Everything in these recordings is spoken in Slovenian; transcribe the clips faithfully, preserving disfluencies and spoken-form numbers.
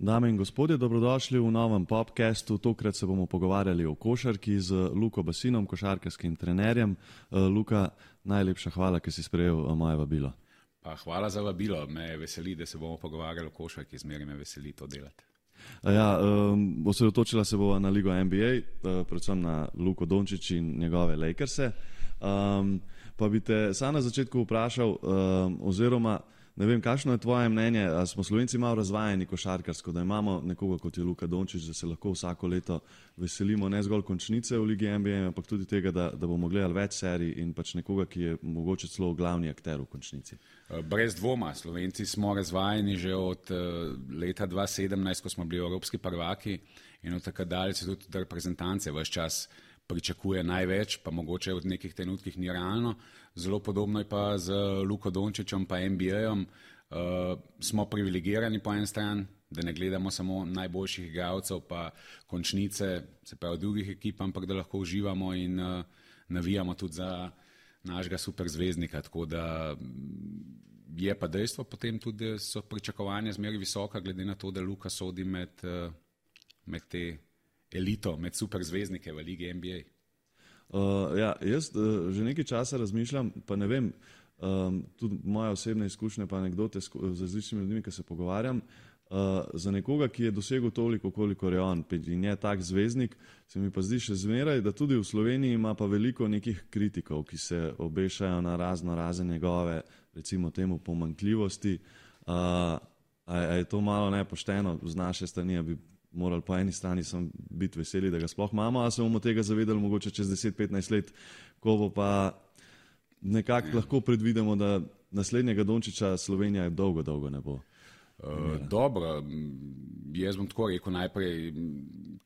Dame in gospodje, dobrodošli v novem podcastu. Tokrat se bomo pogovarjali o košarki z Luko Basinom, košarkarskim trenerjem. Luka, najlepša hvala, ker si sprejel moje vabilo. Pa hvala za vabilo. Me veseli, da se bomo pogovarjali o košarki. Zmeraj me veseli to delati. Ja, um, osredotočila se bova na ligo N B A, uh, predvsem na Luko Dončić in njegove Lakerse. Um, pa bi te sam na začetku vprašal, um, oziroma ne vem, kakšno je tvoje mnenje, a smo Slovenci malo razvajeni košarkarsko, da imamo nekoga kot je Luka Dončić, da se lahko vsako leto veselimo ne zgolj končnice v ligi N B A, ampak tudi tega, da, da bomo gledali več serij in pač nekoga, ki je mogoče celo glavni akter v končnici. Brez dvoma, Slovenci smo razvajeni že od leta dva tisoč sedemnajst, ko smo bili evropski prvaki, in od takrat dalje se tudi reprezentance ves čas pričakuje največ, pa mogoče v nekih trenutkih ni realno. Zelo podobno je pa z Luko Dončićem pa N B A-om. Uh, smo privilegirani po en stran, da ne gledamo samo najboljših igralcev pa končnice, se pravi drugih ekip, ampak da lahko uživamo in uh, navijamo tudi za našega superzvezdnika. Tako da je pa dejstvo potem tudi, da so pričakovanja zmeraj visoka, glede na to, da Luka sodi med, uh, med te elito, med superzvezdnike v ligi N B A. Uh, ja, jaz uh, že nekaj časa razmišljam, pa ne vem, um, tudi moje osebne izkušnje, pa anekdote z različnimi ljudmi, ki se pogovarjam, uh, za nekoga, ki je dosegel toliko, koliko je on in je tak zvezdnik, se mi pa zdi še zmeraj, da tudi v Sloveniji ima pa veliko nekih kritikov, ki se obešajo na razno razne njegove, recimo temu, pomanjkljivosti. Uh, a, a je to malo nepošteno z naše strani, bi morali po eni strani sem biti veseli, da ga sploh imamo, a se bomo tega zavedali mogoče čez deset petnajst let, ko bo pa nekako ja. lahko predvidimo, da naslednjega Dončića Slovenija dolgo, dolgo ne bo. Uh, dobro, jaz bom tako rekel najprej,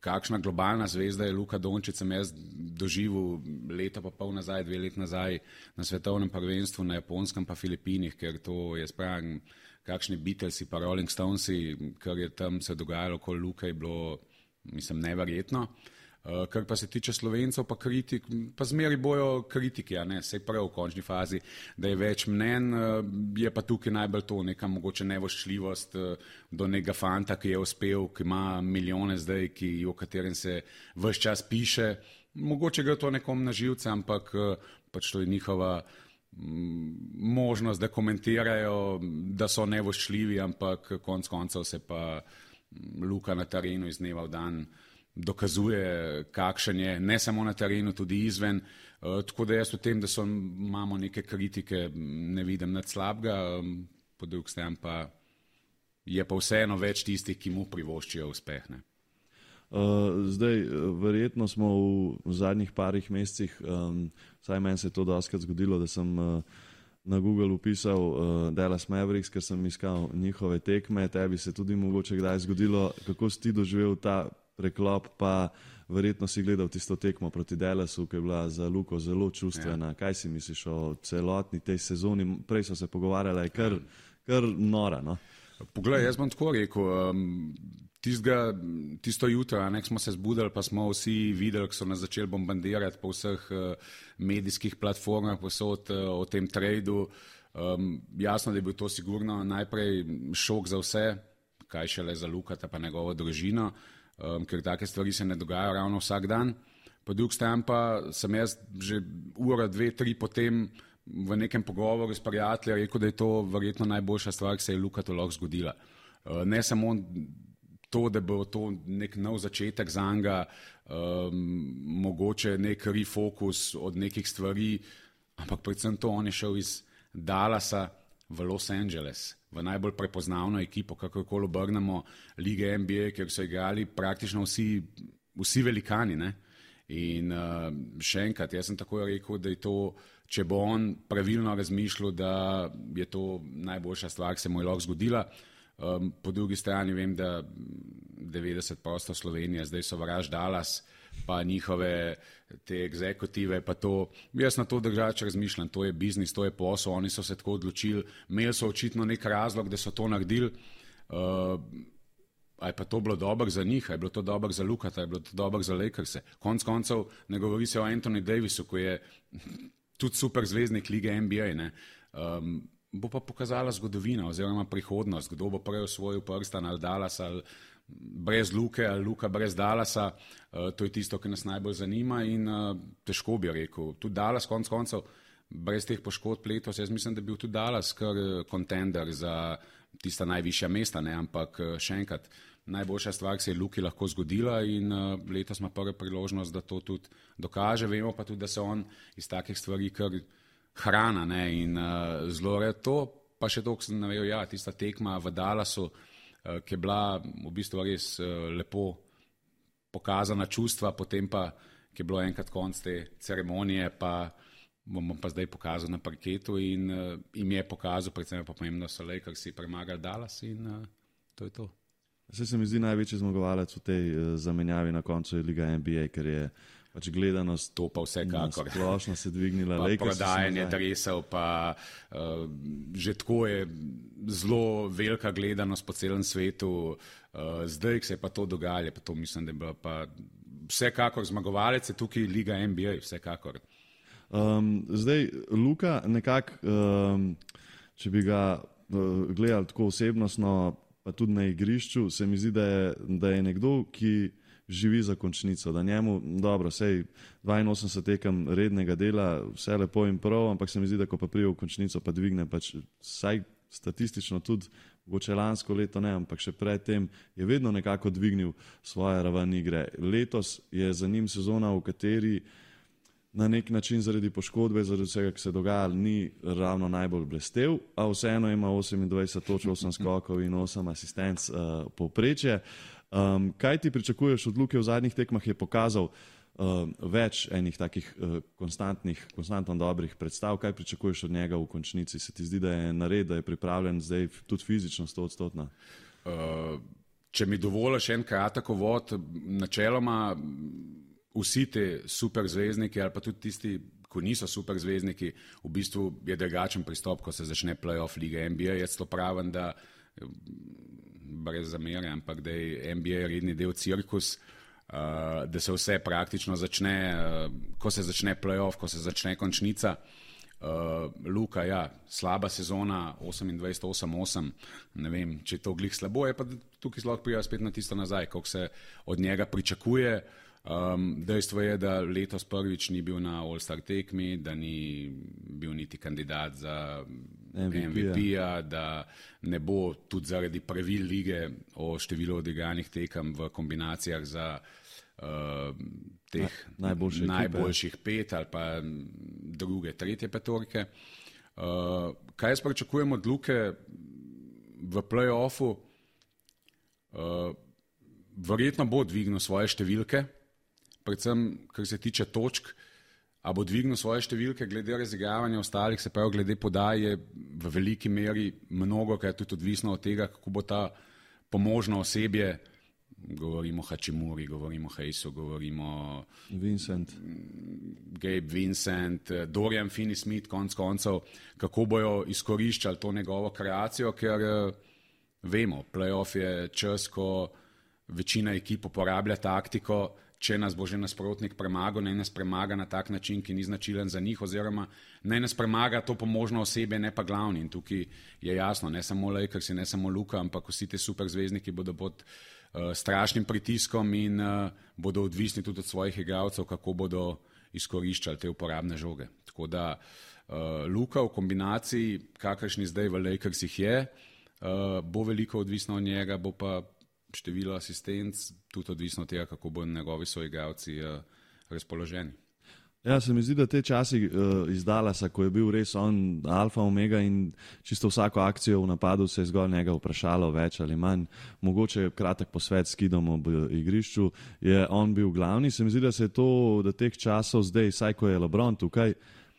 kakšna globalna zvezda je Luka Dončić, sem jaz doživel leta pa pol nazaj, dve let nazaj na svetovnem prvenstvu na Japonskem pa Filipinih, ker to je spravim, kakšni Beatlesi pa Rolling Stonesi, kar je tam se dogajalo okoli Luke, je bilo, mislim, neverjetno. Uh, kar pa se tiče Slovencev pa kritik, pa zmeri bojo kritiki, a ne, sej prav v končni fazi, da je več mnen, uh, je pa tukaj najbolj to neka mogoče nevoščljivost uh, do nekega fanta, ki je uspel, ki ima milijone zdaj, ki, o katerem se ves čas piše. Mogoče gre to nekom na živce, ampak uh, pač to je njihova možnost, da komentirajo, da so nevoščljivi, ampak konc koncev se pa Luka na terenu iz dneva v dan dokazuje, kakšen je, ne samo na terenu, tudi izven. Uh, tako da jaz v tem, da so, imamo neke kritike, ne vidim nič slabega, um, po drugi strani pa je pa vseeno več tistih, ki mu privoščijo uspeh. Ne? Uh, zdaj, verjetno smo v zadnjih parih mesecih, um, vsaj meni se je to dostakrat zgodilo, da sem uh, na Google upisal uh, Dallas Mavericks, ker sem iskal njihove tekme, tebi se tudi mogoče kdaj zgodilo, kako si ti doživel ta preklop, pa verjetno si gledal tisto tekmo proti Dallasu, ki je bila za Luko zelo čustvena. Ja. Kaj si misliš o celotni tej sezoni? Prej so se pogovarjala, je kar, kar nora, no? Poglej, jaz bom tako rekel, um, tistega, tisto jutro, ne, smo se zbudili, pa smo vsi videli, ko so nas začeli bombardirati po vseh uh, medijskih platformah posod uh, o tem tradu. Um, jasno, da je bil to sigurno najprej šok za vse, kaj šele za Lukata pa njegovo družino, um, ker take stvari se ne dogajajo ravno vsak dan. Po drugi strani pa sem jaz že ura, dve, tri potem v nekem pogovoru s prijateljem rekel, da je to verjetno najboljša stvar, ki se je Lukatu lahko zgodila. Uh, ne samo to, da bo to nek nov začetek za njega, um, mogoče nek refocus od nekih stvari, ampak predvsem to, on je šel iz Dallasa v Los Angeles, v najbolj prepoznavno ekipo, kakorkoli obrnemo, lige N B A, kjer so igrali praktično vsi, vsi velikani, ne? In uh, še enkrat, jaz sem tako rekel, da je to, če bo on pravilno razmišljal, da je to najboljša stvar, ki se mu je lahko zgodila. Um, po drugi strani vem, da devetdeset posto Slovenije zdaj sovraž Dallas, pa njihove te egzekutive, pa to, jaz na to drugače razmišljam, to je biznis, to je posel, oni so se tako odločili, imeli so očitno nek razlog, da so to naredili. Uh, A je pa to bilo dobro za njih, a je bilo to dobro za Lukata, a je bilo to dobro za Lakerse. Konc koncev ne govori se o Anthony Davisu, ko je tudi super zvezdnik lige N B A. Ne. Um, bo pa pokazala zgodovina oziroma prihodnost, kdo bo prej osvojil prstan ali Dallas ali brez Luke ali Luka brez Dallasa, uh, to je tisto, ki nas najbolj zanima in uh, težko bi rekel. Tudi Dallas konc koncev, brez teh poškodb letos, jaz mislim, da bi bil tudi Dallas kar kontender za tista najvišja mesta, ne? Ampak še enkrat, najboljša stvar se je Luki lahko zgodila in uh, letos ima prva priložnost, da to tudi dokaže. Vemo pa tudi, da se on iz takih stvari kar hrana, ne? In uh, zelo red to, pa še to, ko sem navedel, ja, tista tekma v Dallasu, uh, ki je bila v bistvu res uh, lepo pokazana čustva, potem pa, ki je bilo enkrat konc te ceremonije, pa bom pa zdaj pokazal na parketu in uh, im je pokazal, predvsem pa pomembno so Lakersi premagali Dallas in uh, to je to. Se se mi zdi največji zmagovalec v tej uh, zamenjavi na koncu je Liga N B A, ker je pač gledanost to pa vsekakor. Splošno se dvignila. Pa prodajanje dresov, pa uh, že tako je zelo velika gledanost po celem svetu. Uh, zdaj, ko se je pa to dogajalo, pa to mislim, da je bila pa vsekakor zmagovalec je tukaj Liga N B A, vsekakor. Um, zdaj, Luka, nekako, um, če bi ga uh, gledali tako osebnostno, pa tudi na igrišču, se mi zdi, da je, da je nekdo, ki živi za končnico, da njemu, dobro, sej dvainosemdeset tekem rednega dela, vse lepo in prav, ampak se mi zdi, da ko pa prije v končnico, pa dvigne, pač vsaj statistično tudi, mogoče lansko leto ne, ampak še predtem je vedno nekako dvignil svoje raven igre. Letos je za njim sezona, v kateri na nek način zaradi poškodbe, zaradi vsega, ki se dogaja, ni ravno najbolj blestev, a vseeno ima osemindvajset točk, osem skokov in osem asistenc uh, povprečje. Um, kaj ti pričakuješ od Luke v zadnjih tekmah? Je pokazal uh, več enih takih uh, konstantnih, konstantno dobrih predstav. Kaj pričakuješ od njega v končnici? Se ti zdi, da je nared, da je pripravljen zdaj tudi fizično sto odstotna? Uh, če mi dovoliš en kratek uvod, načeloma vsi te superzvezdniki ali pa tudi tisti, ko niso superzvezdniki, v bistvu je drugačen pristop, ko se začne playoff Lige N B A. Jaz to pravim, da brez zamere, ampak da je N B A redni del cirkus, uh, da se vse praktično začne, uh, ko se začne playoff, ko se začne končnica. Uh, Luka, ja, slaba sezona, osemindvajset osem osem, ne vem, če je to glih slabo, je pa tukaj zelo prija spet na tisto nazaj, koliko se od njega pričakuje. Um, dejstvo je, da letos prvič ni bil na All-Star tekmi, da ni bil niti kandidat za M V P-ja, da ne bo tudi zaradi pravil lige o številu odigranih tekem v kombinacijah za uh, teh Na, najboljše najboljših pet ali pa druge, tretje petorke. Uh, kaj jaz pričakujem od Luke v play-offu? Uh, verjetno bo dvignil svoje številke, predvsem, kar se tiče točk, a bo dvignil svoje številke glede razigravanja ostalih, se pravi, glede podaje v veliki meri mnogo, kar je tudi odvisno od tega, kako bo ta pomožno osebje, govorimo o Hačimuri, govorimo o Hejsu, govorimo Vincent. Gabe Vincent, Dorian Finney-Smith, konc koncev, kako bojo izkoriščali to njegovo kreacijo, ker vemo, playoff je čas, ko večina ekip uporablja taktiko, če nas bo že nasprotnik premagal, naj nas premaga na tak način, ki ni značilen za njih, oziroma naj nas premaga to pomožno osebje, ne pa glavni. In tukaj je jasno, ne samo Lakersi, ne samo Luka, ampak vsi te superzvezdniki bodo pod uh, strašnim pritiskom in uh, bodo odvisni tudi od svojih igralcev, kako bodo izkoriščali te uporabne žoge. Tako da uh, Luka v kombinaciji, kakršni zdaj v Lakersih je, uh, bo veliko odvisno od njega, bo pa število asistenc, tudi odvisno od tega, kako bodo njegovi soigralci uh, razpoloženi. Ja, se mi zdi, da te časi uh, iz Dallasa, ko je bil res on alfa, omega in čisto vsako akcijo v napadu se je zgolj njega vprašalo več ali manj, mogoče kratek posvet s Kidom ob igrišču, je on bil glavni. Se mi zdi, da se je to, da teh časov zdaj, saj ko je LeBron tukaj,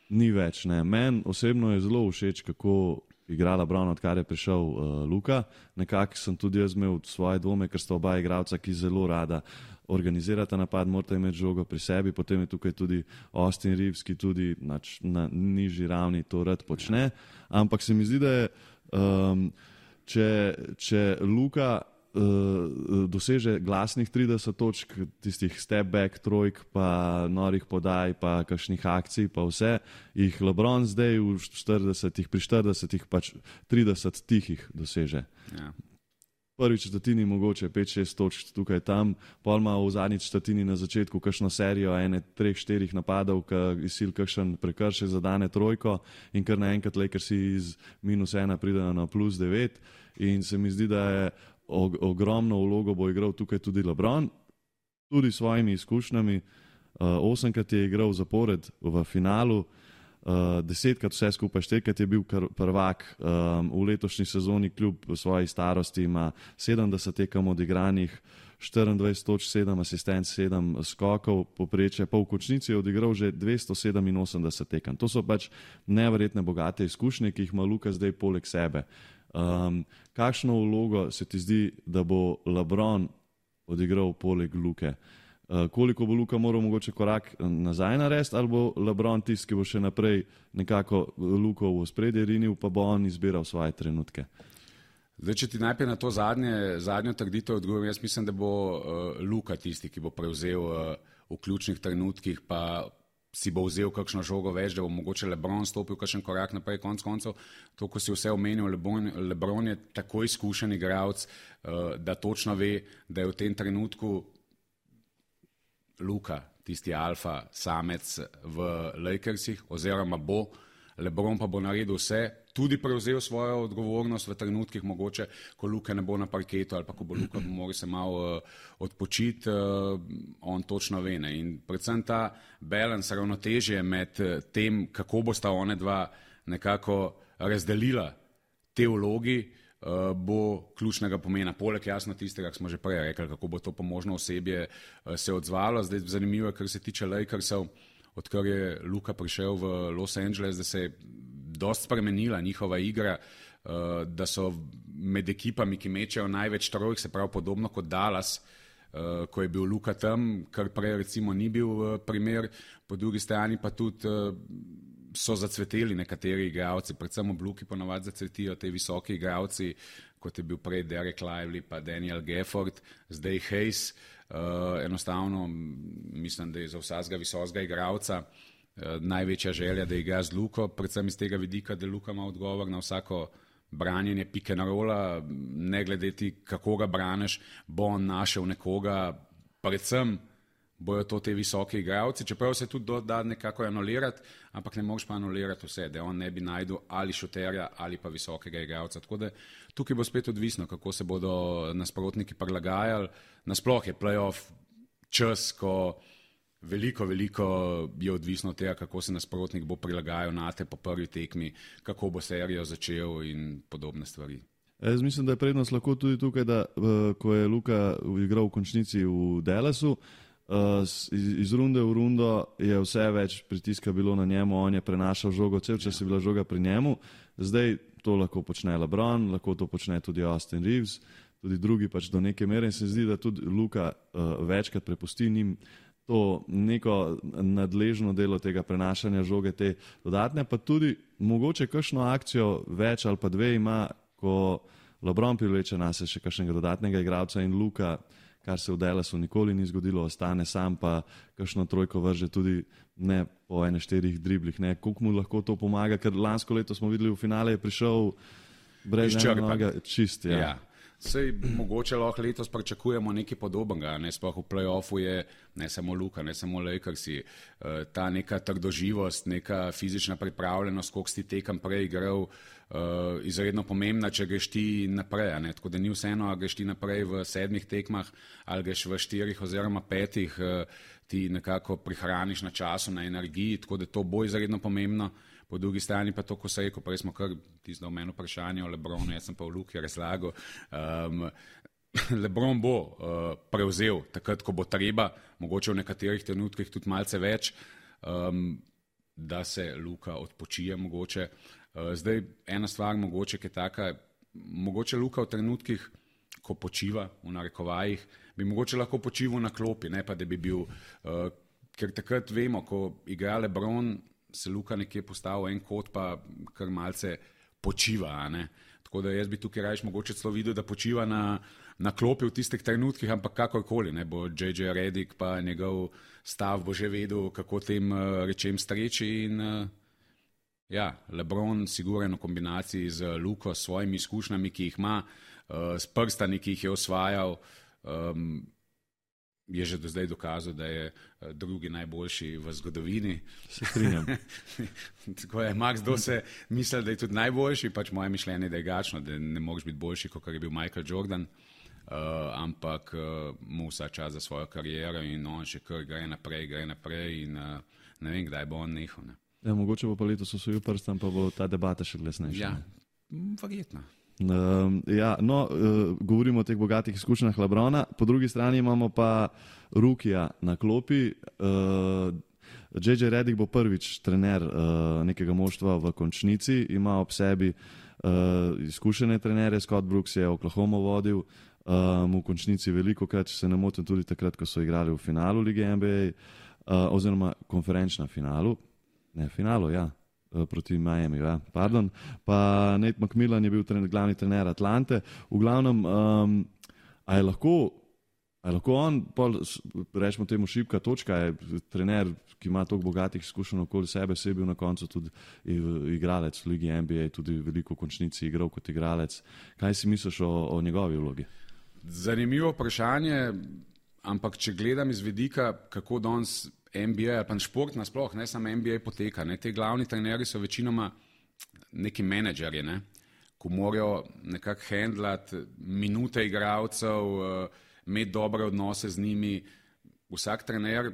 ni več. Meni osebno je zelo všeč, kako igra LeBron, odkar je prišel uh, Luka. Nekako sem tudi jaz imel svoje dvome, ker sta oba igralca, ki zelo rada organizirata napad, morata imeti žogo pri sebi, potem je tukaj tudi Austin Reeves, ki tudi nač, na nižji ravni to rad počne. Ampak se mi zdi, da je, um, če, če Luka uh, doseže glasnih trideset točk, tistih step back, trojk, pa norih podaj, pa kakšnih akcij, pa vse, jih LeBron zdaj v štiridesetih, pri štiridesetih pač trideset tihih doseže. Ja. Prvi četrtini mogoče pet šest točk tukaj tam, pol ima v zadnji četrtini na začetku kakšno serijo ene treh, štirih napadov, ki izsil kakšen prekršek zadane trojko in kar naenkrat Lakersi iz minus ena pridejo na plus devet in se mi zdi, da je og ogromno vlogo bo igral tukaj tudi LeBron, tudi s svojimi izkušnjami. Uh, osemkrat je igral zapored v finalu, Uh, desetkrat vse skupaj, štirikrat je bil prvak, um, v letošnji sezoni kljub svoji starosti ima sedemdeset tekem odigranih, štiriindvajset točk, sedem asistenc, sedem skokov, poprečje, pa v končnici je odigral že dvesto sedeminosemdeset tekem. To so pač neverjetne bogate izkušnje, ki jih ima Luka zdaj poleg sebe. Um, kakšno vlogo se ti zdi, da bo LeBron odigral poleg Luke? Uh, koliko bo Luka moral mogoče korak nazaj narediti, ali bo LeBron tisti, ki bo še naprej nekako Luko v ospredje rinil, pa bo on izbiral svoje trenutke? Zdaj, če ti najprej na to zadnje, zadnjo trditev odgovorim, jaz mislim, da bo uh, Luka tisti, ki bo prevzel uh, v ključnih trenutkih, pa si bo vzel kakšno žogo več, da bo mogoče LeBron stopil kakšen korak naprej, konc koncev. To, ko si vse omenil, LeBron, LeBron je tako izkušen igralec, uh, da točno ve, da je v tem trenutku Luka, tisti alfa samec v Lakersih, oziroma bo, LeBron pa bo naredil vse, tudi prevzel svojo odgovornost v trenutkih mogoče, ko Luka ne bo na parketu ali pa ko bo Luka mora se malo uh, odpočiti, uh, on točno ve. Ne? In predvsem ta balans, ravnotežje med tem, kako bosta one dva nekako razdelila te vlogi, Uh, bo ključnega pomena. Poleg jasno tistega, kar smo že prej rekli, kako bo to pomožno osebje uh, se odzvalo. Zdaj zanimivo je, kar se tiče Lakersov, odkar je Luka prišel v Los Angeles, da se je dost spremenila njihova igra, uh, da so med ekipami, ki mečejo največ trojk, se pravi podobno kot Dallas, uh, ko je bil Luka tam, kar prej recimo ni bil uh, primer, po drugi strani pa tudi uh, so zacveteli nekateri igralci, predvsem ob Luki ponavadi zacvetijo te visoki igralci, kot je bil prej Derek Lively pa Daniel Gafford, zdaj Hayes, uh, enostavno mislim, da je za vsakega visokega igralca uh, največja želja, da igra z Luko, predvsem iz tega vidika, da Luka ima odgovor na vsako branjenje pick and rolla, ne gledeti, kako ga braniš, bo on našel nekoga, predvsem bojo to te visoke igralci, čeprav se tudi da nekako anulirati, ampak ne moš pa anulirati vse, da on ne bi najdel ali šuterja ali pa visokega igralca. Tako da tukaj bo spet odvisno, kako se bodo nasprotniki prilagajali. Nasploh je playoff čas, ko veliko, veliko je odvisno od tega, kako se nasprotnik bo prilagajal na te po prvi tekmi, kako bo serijo začel in podobne stvari. Jaz mislim, da je prednost lahko tudi tukaj, da ko je Luka igral v končnici v Dallasu, Uh, iz, iz runde v rundo je vse več pritiska bilo na njemu, on je prenašal žogo, cel čas je bila žoga pri njemu, zdaj to lahko počne LeBron, lahko to počne tudi Austin Reeves, tudi drugi pač do neke mere in se zdi, da tudi Luka uh, večkrat prepusti njim to neko nadležno delo tega prenašanja žoge, te dodatne, pa tudi mogoče kakšno akcijo več ali pa dve ima, ko LeBron privleče nase še kakšnega dodatnega igralca in Luka, kar se v Dallasu nikoli ni zgodilo, ostane sam, pa kakšno trojko vrže tudi ne po ene štirih driblih. Koliko mu lahko to pomaga, ker lansko leto smo videli v finale, je prišel brez ene noge, čist. Ja. Ja. Sej mogoče lahko letos pričakujemo nekaj podobnega, ne sploh v play-offu je ne samo Luka, ne samo Lakersi, ta neka trdoživost, neka fizična pripravljenost, koliko si tekem prej igral, izredno pomembna, če greš ti naprej, ne? Tako da ni vseeno, a greš ti naprej v sedmih tekmah ali greš v štirih oziroma petih, ti nekako prihraniš na času, na energiji, tako da to bo izredno pomembno. Po drugi strani pa to, ko se reko, prej smo kar tisto v meni vprašanje o LeBronu, jaz sem pa v Luki razlagal. Um, LeBron bo uh, prevzel takrat, ko bo treba, mogoče v nekaterih trenutkih tudi malce več, um, da se Luka odpočije mogoče. Uh, zdaj ena stvar mogoče, ki je taka, mogoče Luka v trenutkih, ko počiva v narekovajih, bi mogoče lahko počival na klopi, ne pa da bi bil, uh, ker takrat vemo, ko igra LeBron, se Luka nekje postavil en kot, pa kar malce počiva. A ne? Tako da jaz bi tukaj rajš mogoče celo videl, da počiva na, na klopi v tistih trenutkih, ampak kakorkoli, ne bo J J Redick pa njegov stav bo že vedel, kako tem uh, rečem streči in uh, ja, LeBron sigurno v kombinaciji z Luko, s svojimi izkušnjami, ki jih ima, uh, s prstani, ki jih je osvajal, um, je že do zdaj dokazal, da je drugi najboljši v zgodovini. Se strinjam. Tako je, Max do se misli, da je tudi najboljši, pač moje mišljenje, da je gačno, da ne moreš biti boljši, kot je bil Michael Jordan, uh, ampak uh, mu vsa čas za svojo kariero in on še kar gre naprej, gre naprej in uh, ne vem, kdaj bo on nehal. Ne. Ja, mogoče bo pa letos osvojil prstan, pa bo ta debata še glasnejša. Ja, verjetno. Uh, ja, no, uh, govorimo o teh bogatih izkušnjah LeBrona, po drugi strani imamo pa Rukija na klopi. Uh, J J Redick bo prvič trener uh, nekega moštva v končnici, ima ob sebi uh, izkušene trenere, Scott Brooks je Oklahoma vodil um, v končnici veliko krat, če se ne motim, tudi takrat, ko so igrali v finalu lige N B A, uh, oziroma konferenčna finalu, ne finalu, ja. proti Miami, ja, pardon. Pa Nate McMillan je bil trener, glavni trener Atlante. V glavnem, um, a je lahko, a je lahko on, pol, rečemo temu šibka točka, je trener, ki ima toliko bogatih izkušenj okoli sebe, se je bil na koncu tudi igralec v ligi N B A, tudi veliko končnici igral kot igralec. Kaj si misliš o, o njegovi vlogi? Zanimivo vprašanje, ampak če gledam iz vidika, kako danes N B A, pa šport nasploh, ne samo N B A poteka. Ne? Te glavni trenerji so večinoma neki menedžerji, ne? Ko morajo nekako handlati minute igralcev, imeti dobre odnose z njimi. Vsak trener,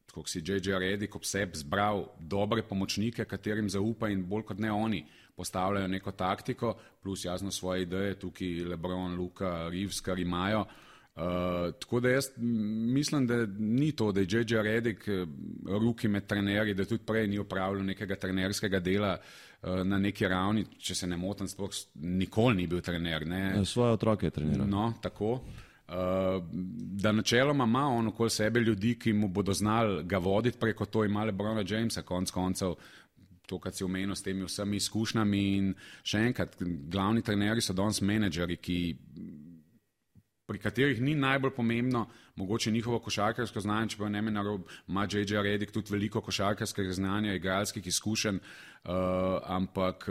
kot si J J Redick ob sebi zbral dobre pomočnike, katerim zaupa in bolj kot ne oni postavljajo neko taktiko, plus jasno svoje ideje, tukaj LeBron, Luka, Reeves, kar imajo. Uh, tako da jaz mislim, da ni to, da je J J Redick ruki med trenerji, da tudi prej ni opravljal nekega trenerskega dela uh, na neki ravni, če se ne motim, sploh nikoli ni bil trener. Ne? Svoje otroke je treniral. No, tako. Uh, da načeloma ima on okoli sebe ljudi, ki mu bodo znali ga voditi preko to, ima LeBrona Jamesa konc koncev, to, kar si omenil s temi vsemi izkušnjami in še enkrat, glavni trenerji so danes menedžeri, ki pri katerih ni najbolj pomembno mogoče njihovo košarkarsko znanje, čeprav ne meni narob, ima J J Redick tudi veliko košarkarskega znanja, igralskih izkušenj, uh, ampak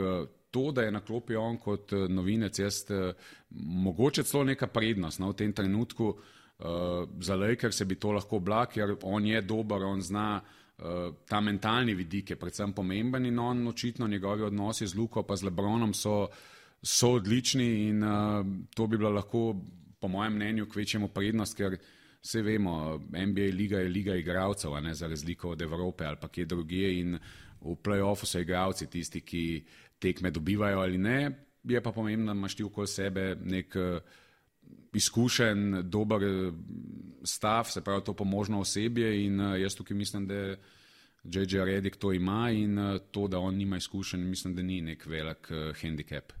to, da je na klopi on kot novinec, jaz uh, mogoče celo neka prednost no, v tem trenutku, uh, za Lakers se bi to lahko bila, ker on je dober, on zna uh, ta mentalni vidik je predvsem pomemben in on očitno njegovi odnosi z Luko pa z LeBronom so, so odlični in uh, to bi bila lahko po mojem mnenju kvečjemu prednost, ker vse vemo, N B A liga je liga igralcev, a ne za razliko od Evrope ali pa kje drugje in v play-offu so igralci tisti, ki tekme dobivajo ali ne, je pa pomembno, da imaš ti okoli sebe nek izkušen, dober stav, se pravi to pomožno osebje in jaz tukaj mislim, da J J Redick to ima in to, da on nima izkušenj, mislim, da ni nek velik handicap.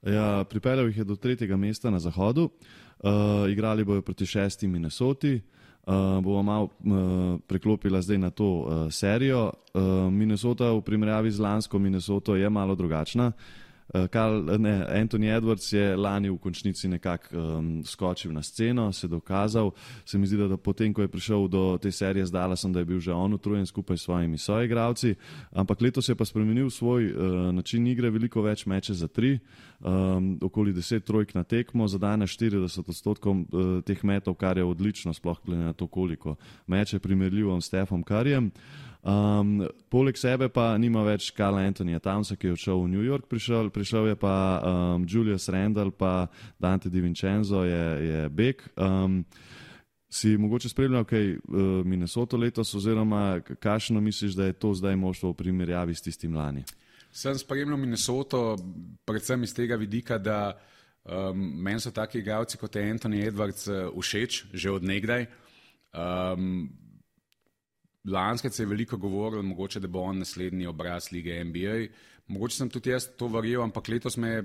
Ja, pripeljal jih je do tretjega mesta na zahodu, uh, igrali bojo proti šesti Minnesoti, uh, bomo malo uh, preklopila zdaj na to uh, serijo. Uh, Minnesota v primerjavi z lansko Minnesoto je malo drugačna. Uh, Karl, ne, Anthony Edwards je lani v končnici nekako um, skočil na sceno, se dokazal. Se mi zdi, da, da potem, ko je prišel do te serije z Dallasom, da je bil že on utrujen skupaj s svojimi soigralci, ampak letos je pa spremenil svoj uh, način igre, veliko več meče za tri, um, okoli deset trojk na tekmo, zadane štirideset odstotkov uh, teh metov, kar je odlično, sploh glede na to, koliko meče primerljivo s Stephom Curryjem. Um, poleg sebe pa nima več Karla Anthonyja Townsa, ki je odšel v New York, prišel, prišel je pa um, Julius Randle, pa Dante DiVincenzo je, je bek. Um, si mogoče spremljal kaj uh, Minnesota letos, oziroma kakšno misliš, da je to zdaj moštvo v primerjavi s tistim lani? Sem spremljal Minnesoto predvsem iz tega vidika, da um, meni so taki igralci kot je Anthony Edwards uh, všeč, že od nekdaj. Um, Lanskrat se je veliko govorilo, mogoče, da bo on naslednji obraz lige N B A. Mogoče sem tudi jaz to verjel, ampak letos me je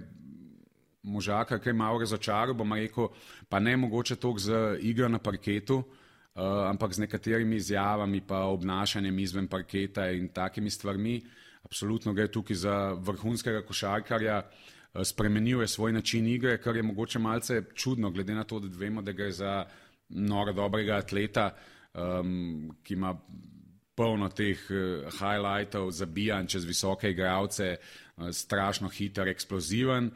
možaka kaj malo razočaral, bom rekel, pa ne mogoče toliko z igro na parketu, uh, ampak z nekaterimi izjavami pa obnašanjem izven parketa in takimi stvarmi. absolutno gre tukaj za vrhunskega košarkarja, spremenil je svoj način igre, kar je mogoče malce čudno, glede na to, da vemo, da gre za noro dobrega atleta, um, ki ima polno teh uh, highlightov, zabijanj čez visoke igralce, uh, strašno hiter, eksploziven.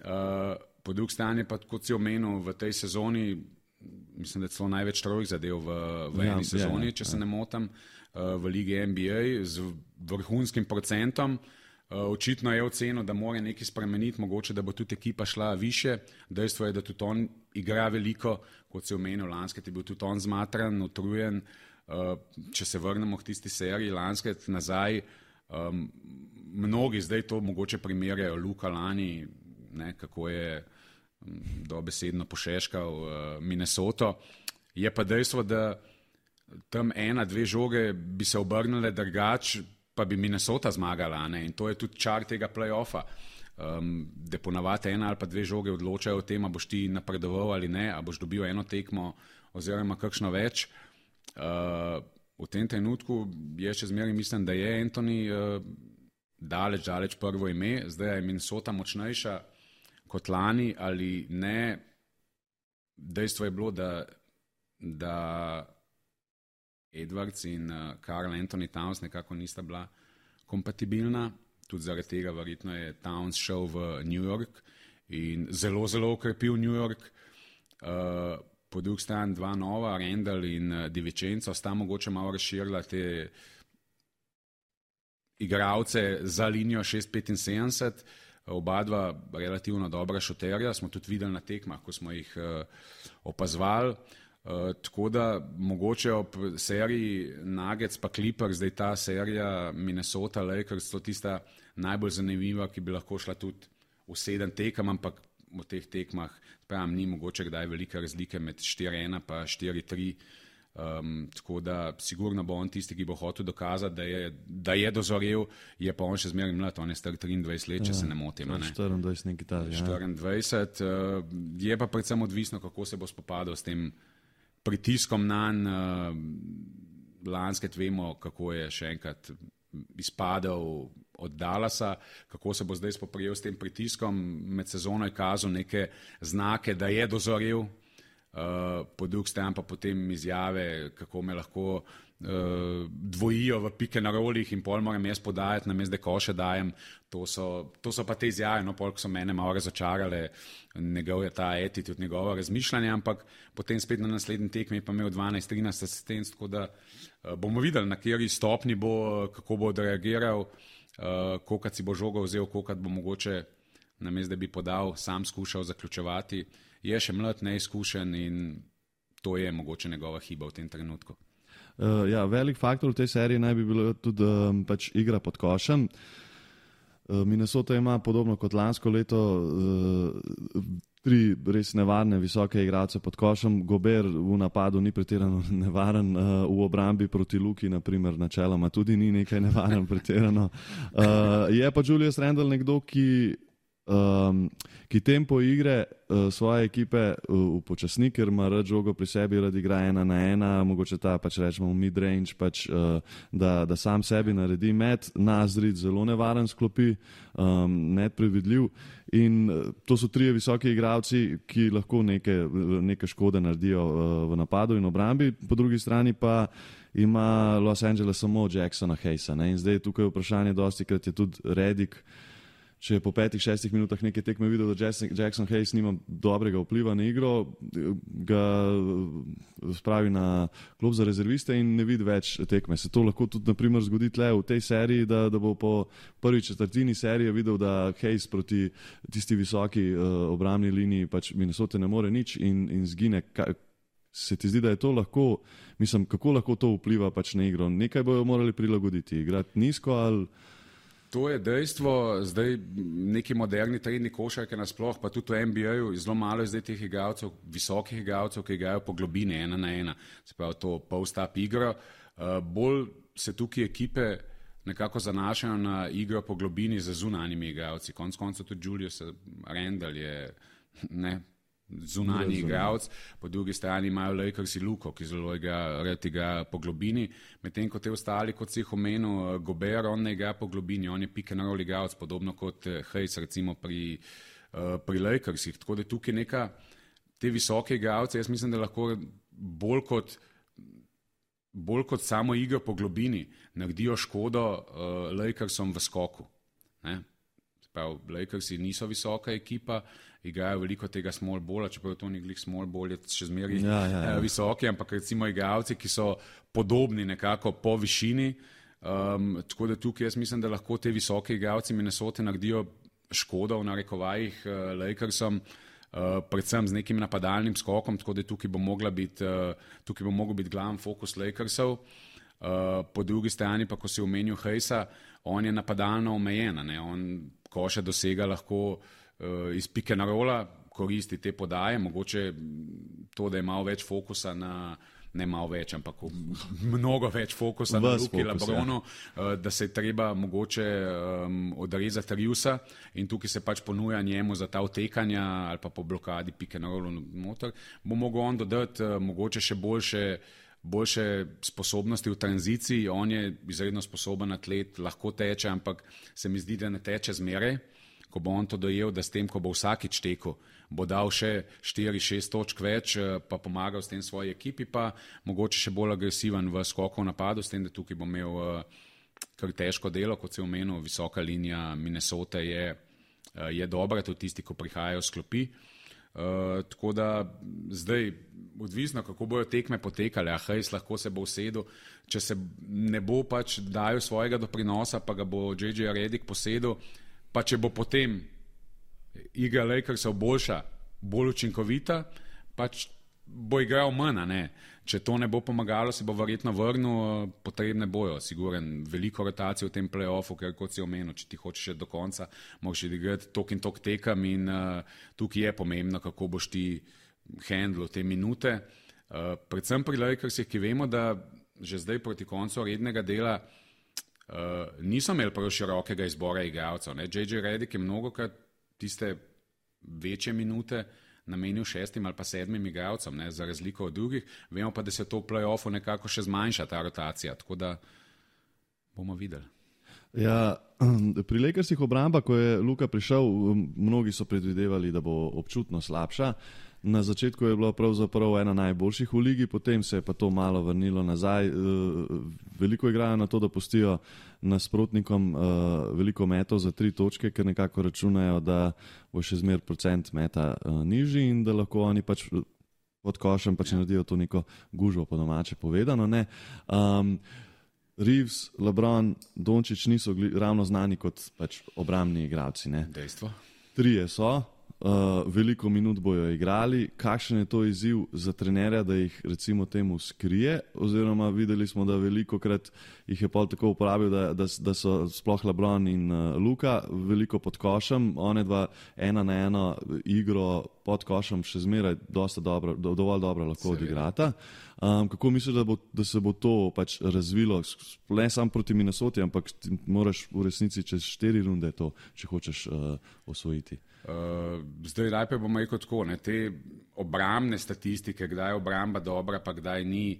Uh, po drugi strani pa, kot si omenil, v tej sezoni, mislim, da je celo največ trojk zadev v, v eni ja, sezoni, ja, če ja. se ne motim, uh, v ligi N B A z vrhunskim procentom. Očitno je ocenil, da mora nekaj spremeniti, mogoče, da bo tudi ekipa šla više. Dejstvo je, da tudi on igra veliko, kot se je omenil, lanskrat je bil tudi on zmatran, utrujen. Če se vrnemo k tisti seriji lanskrat nazaj, mnogi zdaj to mogoče primerjajo Luka lani, ne, kako je dobesedno pošeškal Minnesoto. Je pa dejstvo, da tam ena, dve žoge bi se obrnile drugač, pa bi Minnesota zmagala, ne? In to je tudi čar tega play-offa, um, da ponavadi ena ali pa dve žoge odločajo o tem, a boš ti napredoval ali ne, a boš dobil eno tekmo oziroma kakšno več. Uh, v tem trenutku je še zmeraj mislim, da je Anthony uh, daleč, daleč prvo ime, zdaj je Minnesota močnejša kot lani ali ne. Dejstvo je bilo, da, da Edwards in uh, Karl Anthony Towns nekako nista bila kompatibilna, tudi zaradi tega verjetno je Towns šel v New York in zelo, zelo okrepil New York. Uh, po drugi strani dva nova, Randall in uh, DiVincenzo, sta mogoče malo razširila te igralce za linijo šest petinsedemdeset, oba dva relativno dobra šuterja, smo tudi videli na tekmah, ko smo jih uh, opazovali. Uh, tako da mogoče ob seriji Nuggets pa Clippers, zdaj ta serija Minnesota Lakers, to tista najbolj zanimiva, ki bi lahko šla tudi v sedem tekem, ampak v teh tekmah pravim, ni mogoče kdaj velike razlike med štiri ena pa štiri tri. Um, tako da sigurno bo on tisti, ki bo hotel dokazati, da je, da je dozorel, je pa on še zmeraj mlad, on je star triindvajset let, če ja, se ne motim. Ne? štiriindvajset nekaj ta, ja. štiriindvajset, uh, je pa predvsem odvisno, kako se bo spopadal s tem pritiskom nanj. Uh, lanskrat vemo, kako je še enkrat izpadel od Dallasa, kako se bo zdaj spoprijel s tem pritiskom. Med sezono je kazal neke znake, da je dozorel, uh, po drugi strani pa potem izjave, kako me lahko uh, dvojijo v pike na rolih in pol moram jaz podajati, namesto da koše dajem. To so, to so pa te izjave, no, pol, ko so mene malo razočarale, njegov je ta attitude, njegovo razmišljanje, ampak potem spet na naslednji tekmi je pa imel dvanajst trinajst asistenc, tako da uh, bomo videli, na kateri stopni bo, kako bo odreagiral, uh, kolikrat si bo žogo vzel, kolikrat bo mogoče, namesto da bi podal, sam skušal zaključevati. Je še mlad, neizkušen in to je mogoče njegova hiba v tem trenutku. Uh, ja, velik faktor v tej seriji naj bi bilo tudi um, pač igra pod košem. Uh, Minnesota ima podobno kot lansko leto uh, tri res nevarne visoke igralce pod košem. Gobert v napadu ni pretirano nevaren, uh, v obrambi proti Luki naprimer načeloma tudi ni nekaj nevaren pretirano. Uh, je pa Julius Randle nekdo, ki Um, ki tempo igre uh, svoje ekipe uh, upočasni, ker ima rad žogo pri sebi, rad igra ena na ena, mogoče ta pač rečemo mid-range, pač, uh, da, da sam sebi naredi met, Nazrid zelo nevaren sklopi, um, nepredvidljiv in uh, to so trije visoki igralci, ki lahko neke, neke škode naredijo uh, v napadu in obrambi, po drugi strani pa ima Los Angeles samo Jacksona Hayesa, ne? In zdaj tukaj vprašanje dosti, krat je tudi Redick. Če je po petih, šestih minutah neke tekme videl, da Jackson Hayes nima dobrega vpliva na igro, ga spravi na klub za rezerviste in ne vidi več tekme. Se to lahko tudi naprimer zgodi tle v tej seriji, da, da bo po prvi četrtini serije videl, da Hayes proti tisti visoki uh, obrambni liniji pač Minnesota ne more nič in, in zgine. Ka, se ti zdi, da je to lahko, mislim, kako lahko to vpliva pač na igro? Nekaj bojo morali prilagoditi, igrati nizko ali... To je dejstvo, zdaj neki moderni trenni košarke nasploh, pa tudi v N B A-ju, zelo malo je zdaj teh igralcev, visokih igralcev, ki igrajo po globini, ena na ena, se pravi to post-up igro. Uh, bolj se tukaj ekipe nekako zanašajo na igro po globini za zunanjimi igralci. Konec koncev tudi Julius Randle je, ne, zunanji igralec, po drugi strani imajo Lakersi Luko, ki zelo igra, rad igra po globini, medtem ko te ostali, kot si jih omenil, Gobert, on ne igra po globini, on je pick and roll igralec, podobno kot Hayes recimo pri, pri Lakersih, tako da tukaj neka te visoke igralce, jaz mislim, da lahko bolj kot bolj kot samo igro po globini naredijo škodo uh, Lakersom v skoku. Ne? Prav, Lakersi niso visoka ekipa, igrajo veliko tega small balla, čeprav to ni glih small ball, je še zmeri ja, ja, ja. visoki, ampak recimo igralci, ki so podobni nekako po višini, um, tako da tukaj jaz mislim, da lahko te visoke igralci Minnesote naredijo škodo v narekovajih uh, Lakersom, Uh, predvsem z nekim napadalnim skokom, tako da tukaj bo mogla biti, uh, tukaj bo mogel biti glaven fokus Lakersov. Uh, po drugi strani pa, ko si omenil Hayesa, on je napadalno omejen, ne? On koše dosega lahko uh, iz pick and rolla, koristi te podaje, mogoče to, da je malo več fokusa na, ne malo več, ampak mnogo več fokusa na Luki Lebronu, ja. Da se je treba mogoče um, odrezati Riusa in tukaj se pač ponuja njemu za ta utekanja ali pa po blokadi pick and rollu noter, bo mogel on dodati uh, mogoče še boljše boljše sposobnosti v tranziciji, on je izredno sposoben atlet, lahko teče, ampak se mi zdi, da ne teče zmeraj, ko bo on to dojel, da s tem, ko bo vsakič tekel, bo dal še štiri šest točk več, pa pomagal s tem svoji ekipi, pa mogoče še bolj agresiven v skoku v napadu, s tem, da tukaj bo imel kar težko delo, kot se je omenil, visoka linija Minnesota je, je dobra, tudi tisti, ko prihajajo s klopi. Uh, tako da zdaj odvisno, kako bojo tekme potekale, a Hayes lahko se bo usedel, če se ne bo pač dajal svojega doprinosa, pa ga bo J J Redick posedel, pa če bo potem igra Lakersov boljša, bolj učinkovita, pač bo igral manj, ne. Če to ne bo pomagalo, se bo verjetno vrnil, potrebne bojo, siguren, veliko rotacije v tem play-offu, ker kot si omenil, če ti hočeš še do konca, moraš igrati tok in tok tekam in uh, tukaj je pomembno, kako boš ti handlo te minute. Uh, predvsem pri Lakersih, ki vemo, da že zdaj proti koncu rednega dela uh, niso imeli prav širokega izbora igralcev. J J Redick je mnogokrat tiste večje minute namenil šestim ali pa sedmim igralcem, ne, za razliko od drugih. Vemo pa, da se to v play-offu nekako še zmanjša, ta rotacija, tako da bomo videli. Ja, pri Lakersih obramba, ko je Luka prišel, mnogi so predvidevali, da bo občutno slabša. Na začetku je bilo pravzaprav ena najboljših v ligi, potem se je pa to malo vrnilo nazaj. Veliko igrajo na to, da pustijo nasprotnikom veliko metov za tri točke, ker nekako računajo, da bo še zmer procent meta nižji in da lahko oni pač pod košem pač naredijo to neko gužvo, po domače povedano. Ne? Um, Reeves, LeBron, Dončić niso ravno znani kot pač obrambni igralci. Ne? Dejstvo. Trije so. Uh, veliko minut bojo igrali, kakšen je to izziv za trenerja, da jih recimo temu skrije, oziroma videli smo, da veliko krat jih je pol tako uporabil, da, da, da so sploh LeBron in uh, Luka veliko pod košem, one dva ena na eno igro pod košem še zmeraj dosta dobro, do, dovolj dobro lahko odigrata. Um, kako misliš, da, bo, da se bo to pač razvilo, ne samo proti Minnesoti, ampak moraš v resnici čez štiri runde to, če hočeš uh, osvojiti? Uh, zdaj najprej bomo rekel tako, ne, te obrambne statistike, kdaj je obramba dobra, pa kdaj ni,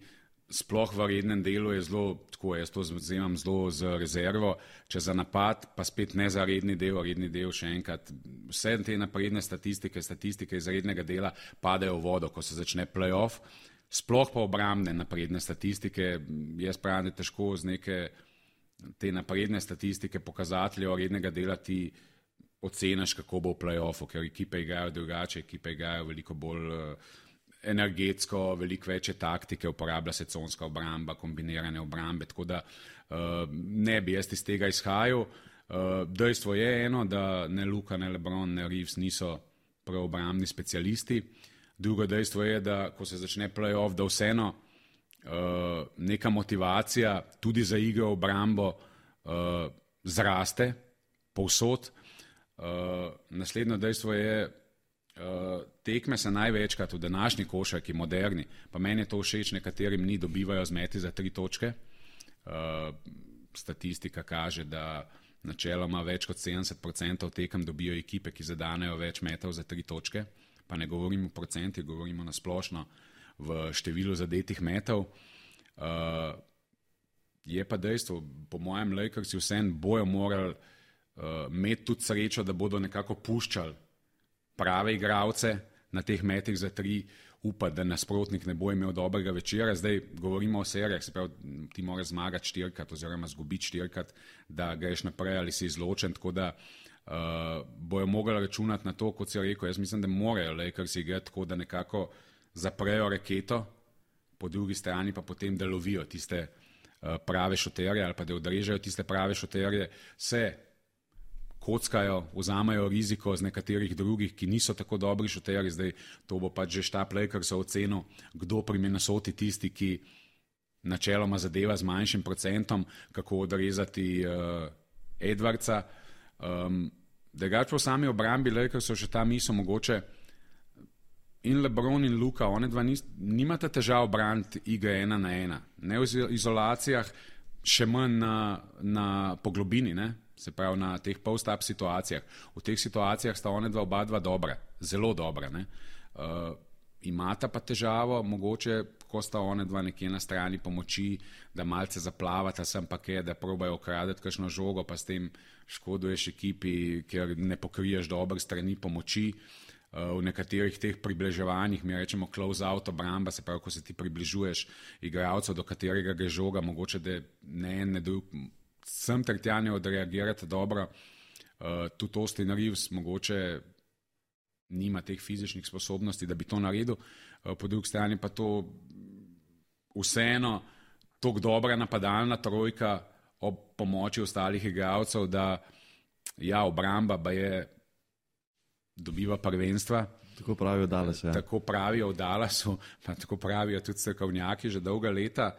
sploh v rednem delu je zelo, tako jaz to vzemam zelo z rezervo, če za napad, pa spet ne za redni del, redni del še enkrat, vse te napredne statistike, statistike iz rednega dela padajo v vodo, ko se začne play-off, sploh pa obrambne napredne statistike, jaz pravim, da težko z neke te napredne statistike pokazateljev rednega dela ti oceniš, kako bo v play-offu, ker ekipe igrajo drugače, ekipe igrajo veliko bolj uh, energetsko, veliko večje taktike, uporablja se conska obramba, kombinirane obrambe, tako da uh, ne bi jaz iz tega izhajal. Uh, dejstvo je eno, da ne Luka, ne LeBron, ne Reeves niso prav obrambni specialisti. Drugo dejstvo je, da ko se začne play-off, da vseeno uh, neka motivacija tudi za igro obrambo uh, zraste povsod. Uh, naslednjo dejstvo je, uh, tekme se največkrat v današnji košarki, moderni, pa meni je to všeč, nekaterim ni, dobivajo z meti za tri točke. Uh, statistika kaže, da načeloma več kot sedemdeset procent tekem dobijo ekipe, ki zadanejo več metov za tri točke, pa ne govorimo o procentih, govorimo na splošno v številu zadetih metov. Uh, je pa dejstvo, po mojem Lakersi vseeno bojo morali uh, imeti tudi srečo, da bodo nekako puščali prave igralce na teh metih za tri, upati, da nasprotnik ne bo imel dobrega večera. Zdaj govorimo o serijah, se pravi, ti moraš zmagati štirikrat oziroma zgubiti štirikrat, da greš naprej ali si izločen, tako da uh, bojo mogli računati na to, kot si rekel. Jaz mislim, da morajo Lakersi igrati tako, da nekako zaprejo raketo, po drugi strani pa potem, da lovijo tiste uh, prave šuterje ali pa da odrežejo tiste prave šuterje, se kockajo, vzamejo riziko z nekaterih drugih, ki niso tako dobri šuterji. Zdaj to bo pač že štab Lakersov ocenil, kdo pri Minnesoti tisti, ki načeloma zadeva z manjšim procentom, kako odrezati uh, Edwardsa. Um, Drugač po sami obrambi Lakersov še ta misel mogoče in LeBron in Luka, one dva nis, nimate težav braniti igre ena na ena. Ne v izolacijah, še manj na, na poglobini, ne? Se pravi na teh post-up situacijah. V teh situacijah sta one dva oba dva dobra, zelo dobra. Ne? Uh, imata pa težavo, mogoče, ko sta one dva nekje na strani pomoči, da malce zaplavata sem pa kaj, da probajo okradeti kakšno žogo, pa s tem škoduješ ekipi, ker ne pokriješ dobre strani pomoči. Uh, v nekaterih teh približevanjih, mi rečemo close-out obramba, se pravi, ko se ti približuješ igralcev, do katerega gre žoga, mogoče da ne en, ne drug, sem ter tja ne odreagirati dobro. Uh, tudi Austin Reeves mogoče nima teh fizičnih sposobnosti, da bi to naredil. Uh, po drugi strani pa to vseeno tako dobra napadalna trojka ob pomoči ostalih igralcev, da ja, obramba ba je dobiva prvenstva. Tako pravijo v Dallasu. Ja. Tako pravijo v Dallasu, pa tako pravijo tudi strokovnjaki že dolga leta.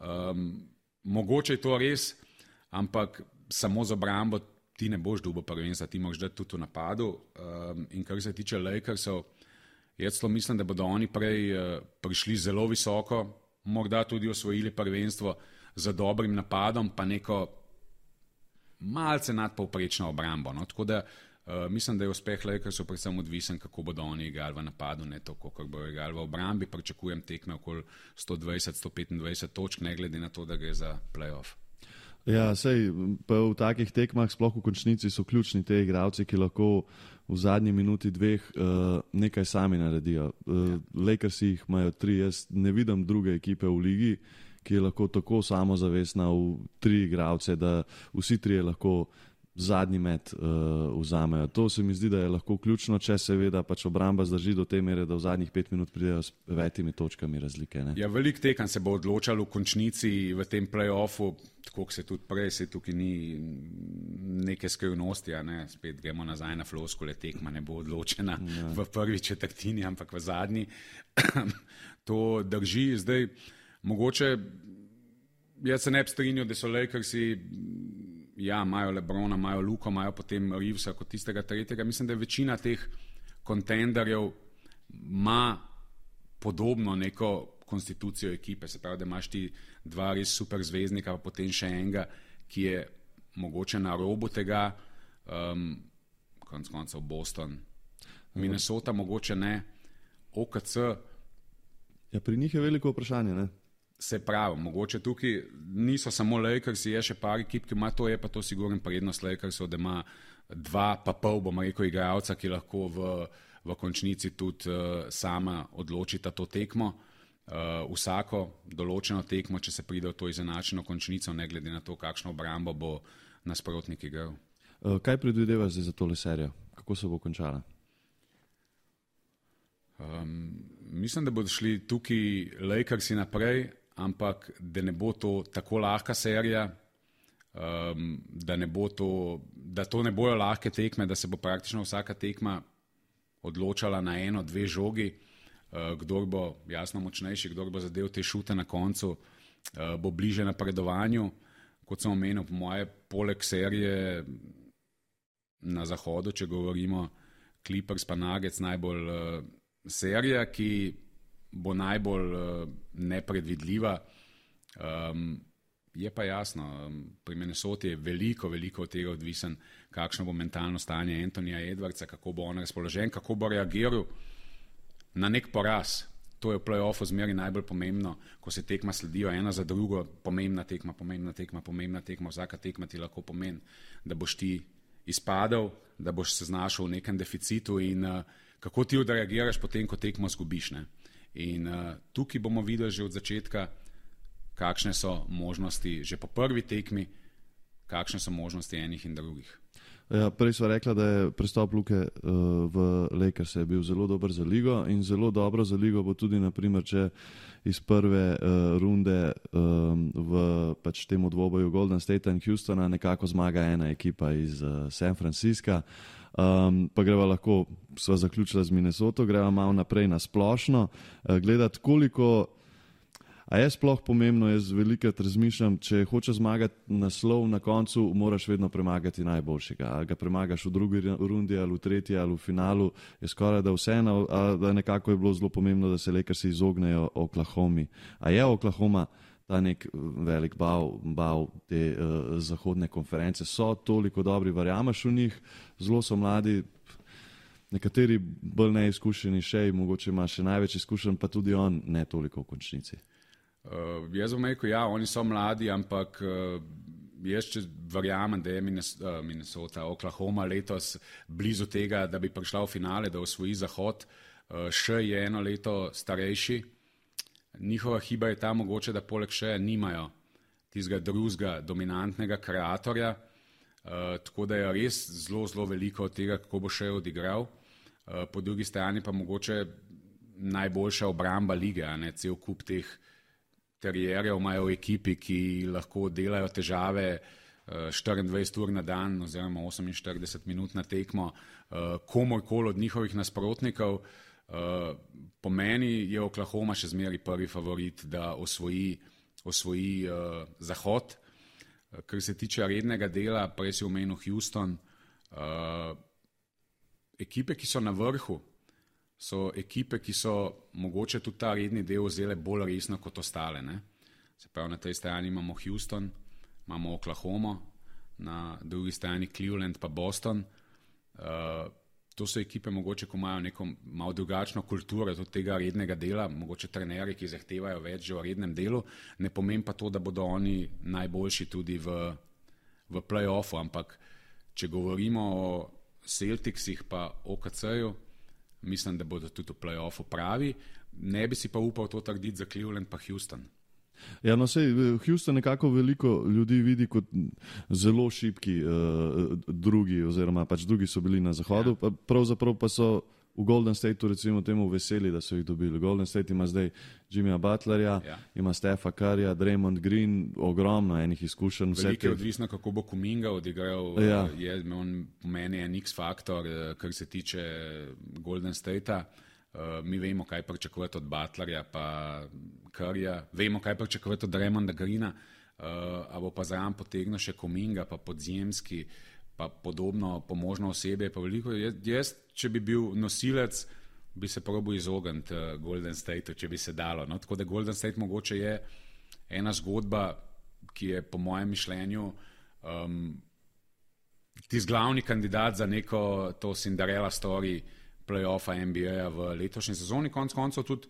Um, mogoče je to res, ampak samo z obrambo ti ne boš dobil prvenstva, ti moraš dati tudi v napadu. Um, in kar se tiče Lakersov, jaz celo mislim, da bodo oni prej uh, prišli zelo visoko, morda tudi osvojili prvenstvo z dobrim napadom, pa neko malce nadpovprečno obrambo. No? Tako da uh, mislim, da je uspeh Lakersov predvsem odvisen, kako bodo oni igrali v napadu, ne to, kako bodo igrali v obrambi. Pričakujem tekme okoli sto dvajset do sto petindvajset točk, ne glede na to, da gre za playoff. Ja, sej, pa v takih tekmah, sploh v končnici, so ključni te igralci, ki lahko v zadnji minuti dveh uh, nekaj sami naredijo. Uh, ja. Lakersi jih imajo tri, jaz ne vidim druge ekipe v ligi, ki je lahko tako samozavestna v tri igralce, da vsi trije lahko zadnji met uh, vzamejo. To se mi zdi, da je lahko ključno, če seveda pač obramba zdrži do te mere, da v zadnjih pet minut pridejo s petimi točkami razlike. Ne? Ja, velik tekan se bo odločal v končnici v tem play-offu, tako se tudi prej, se tukaj ni neke skrivnosti, ne? Spet gremo nazaj na floskule, tekma ne bo odločena ja. v prvi četrtini, ampak v zadnji. To drži. Zdaj, mogoče, jaz se ne bi strinjal, da so Lakersi, ja, imajo LeBrona, imajo Luko, imajo potem Reevesa kot tistega tretjega. Mislim, da večina teh kontenderjev ima podobno neko konstitucijo ekipe. Se pravi, da imaš ti dva res super zvezdnika, pa potem še enega, ki je mogoče na robu tega, um, konec koncev Boston, Minnesota mogoče ne, O K C. Ja, pri njih je veliko vprašanje, ne? Se pravi, mogoče tukaj niso samo Lakersi, je še par ekip, ki ima to, je pa to sigurno prednost Lakersov, da ima dva pa pol, bomo rekel, igralca, ki lahko v, v končnici tudi uh, sama odločita to tekmo. Uh, vsako določeno tekmo, če se pride v to izenačeno končnico, ne glede na to, kakšno obrambo bo nasprotnik igral. Uh, kaj predvidevaš za tole serijo? Kako se bo končala? Um, mislim, da bodo šli tukaj Lakersi naprej, ampak da ne bo to tako lahka serija, um, da, ne bo to, da to ne bojo lahke tekme, da se bo praktično vsaka tekma odločala na eno, dve žogi, uh, kdor bo jasno močnejši, kdor bo zadev te šute na koncu, uh, bo bliže napredovanju. Kot sem omenil, po moje, poleg serije na zahodu, če govorimo Clippers pa Nuggets, najbolj uh, serija, ki bo najbolj uh, nepredvidljiva. Um, je pa jasno, um, pri Minnesoti je veliko, veliko od tega odvisen, kakšno bo mentalno stanje Anthonyja Edwardsa, kako bo on razpoložen, kako bo reagiral na nek poraz. To je v play-offu zmeri najbolj pomembno, ko se tekma sledijo ena za drugo, pomembna tekma, pomembna tekma, pomembna tekma, vsaka tekma ti lahko pomeni, da boš ti izpadel, da boš se znašel v nekem deficitu in uh, kako ti odreagiraš potem, ko tekmo zgubiš. Ne? In uh, tukaj bomo videli že od začetka, kakšne so možnosti, že po prvi tekmi, kakšne so možnosti enih in drugih. Ja, prej sva rekla, da je prestop Luke uh, v Lakers je bil zelo dober za ligo in zelo dobro za ligo bo tudi, naprimer, če iz prve uh, runde um, v pač temu dvoboju Golden State in Houstona nekako zmaga ena ekipa iz uh, San Francisca. Um, pa greva lahko, sva zaključila z Minnesoto, greva malo naprej na splošno, uh, gledati koliko. A je sploh pomembno, jaz velikrat razmišljam, če hočeš zmagati naslov na koncu, moraš vedno premagati najboljšega. Ali ga premagaš v drugi rundi, ali v tretji, ali v finalu, je skoraj da vseeno, da nekako je bilo zelo pomembno, da se Lakersi izognejo Oklahomi. A je Oklahoma ta nek velik bav, bav te uh, zahodne konference? So toliko dobri, verjameš v njih, zelo so mladi, nekateri bolj neizkušeni še, mogoče ima še največ izkušenj, pa tudi on ne toliko v končnici. Uh, jaz bom rekel, ja, oni so mladi, ampak uh, jaz če verjamem, da je Minnesota, Oklahoma letos blizu tega, da bi prišla v finale, da osvoji Zahod, uh, še je eno leto starejši. Njihova hiba je ta mogoče, da poleg še nimajo tistega drugega dominantnega kreatorja, uh, tako da je res zelo, zelo veliko od tega, kako bo še odigral. Uh, po drugi strani pa mogoče najboljša obramba lige, a ne cel kup teh terierjev imajo v ekipi, ki lahko delajo težave štiriindvajset ur na dan oziroma oseminštirideset minut na tekmo komorkoli od njihovih nasprotnikov. Po meni je Oklahoma še zmeri prvi favorit, da osvoji, osvoji uh, Zahod. Kar se tiče rednega dela, prej si omenil Houston, uh, ekipe, ki so na vrhu, so ekipe, ki so mogoče tudi ta redni del vzele bolj resno kot ostale. Ne? Se pravi, na tej strani imamo Houston, imamo Oklahoma, na drugi strani Cleveland pa Boston. Uh, to so ekipe mogoče, ko imajo neko malo drugačno kulturo tudi tega rednega dela, mogoče trenerji, ki zahtevajo več že v rednem delu, ne pomeni pa to, da bodo oni najboljši tudi v, v play-offu, ampak če govorimo o Celticsih pa O K C-ju, mislim, da bodo tudi v play-offu pravi. Ne bi si pa upal to trditi za Cleveland pa Houston. Ja, no sej, Houston nekako veliko ljudi vidi kot zelo šibki uh, drugi, oziroma pač drugi so bili na zahodu, ja. Pravzaprav pa so v Golden Stateu recimo temu veseli, da so jih dobili. Golden State ima zdaj Jimmyja Butlerja, ja. Ima Stefa Curryja, Draymond Green, ogromno enih izkušenj. Veliko je odvisno, kako bo Kuminga odigral. Ja. Je on po meni en X-faktor, kar se tiče Golden Statea. Uh, mi vemo, kaj pričakovati od Butlerja pa Curryja, vemo, kaj pričakovati od Draymonda Greena, uh, a bo pa zraven potegnil še Kuminga, pa Podzemski, pa podobno pomožno osebe. Pa veliko. Jaz, če bi bil nosilec, bi se probil izogniti uh, Golden Stateu, če bi se dalo. No? Tako da Golden State mogoče je ena zgodba, ki je po mojem mišljenju um, tisti glavni kandidat za neko to Cinderella story play-offa N B A-ja v letošnji sezoni. Konec koncev tudi,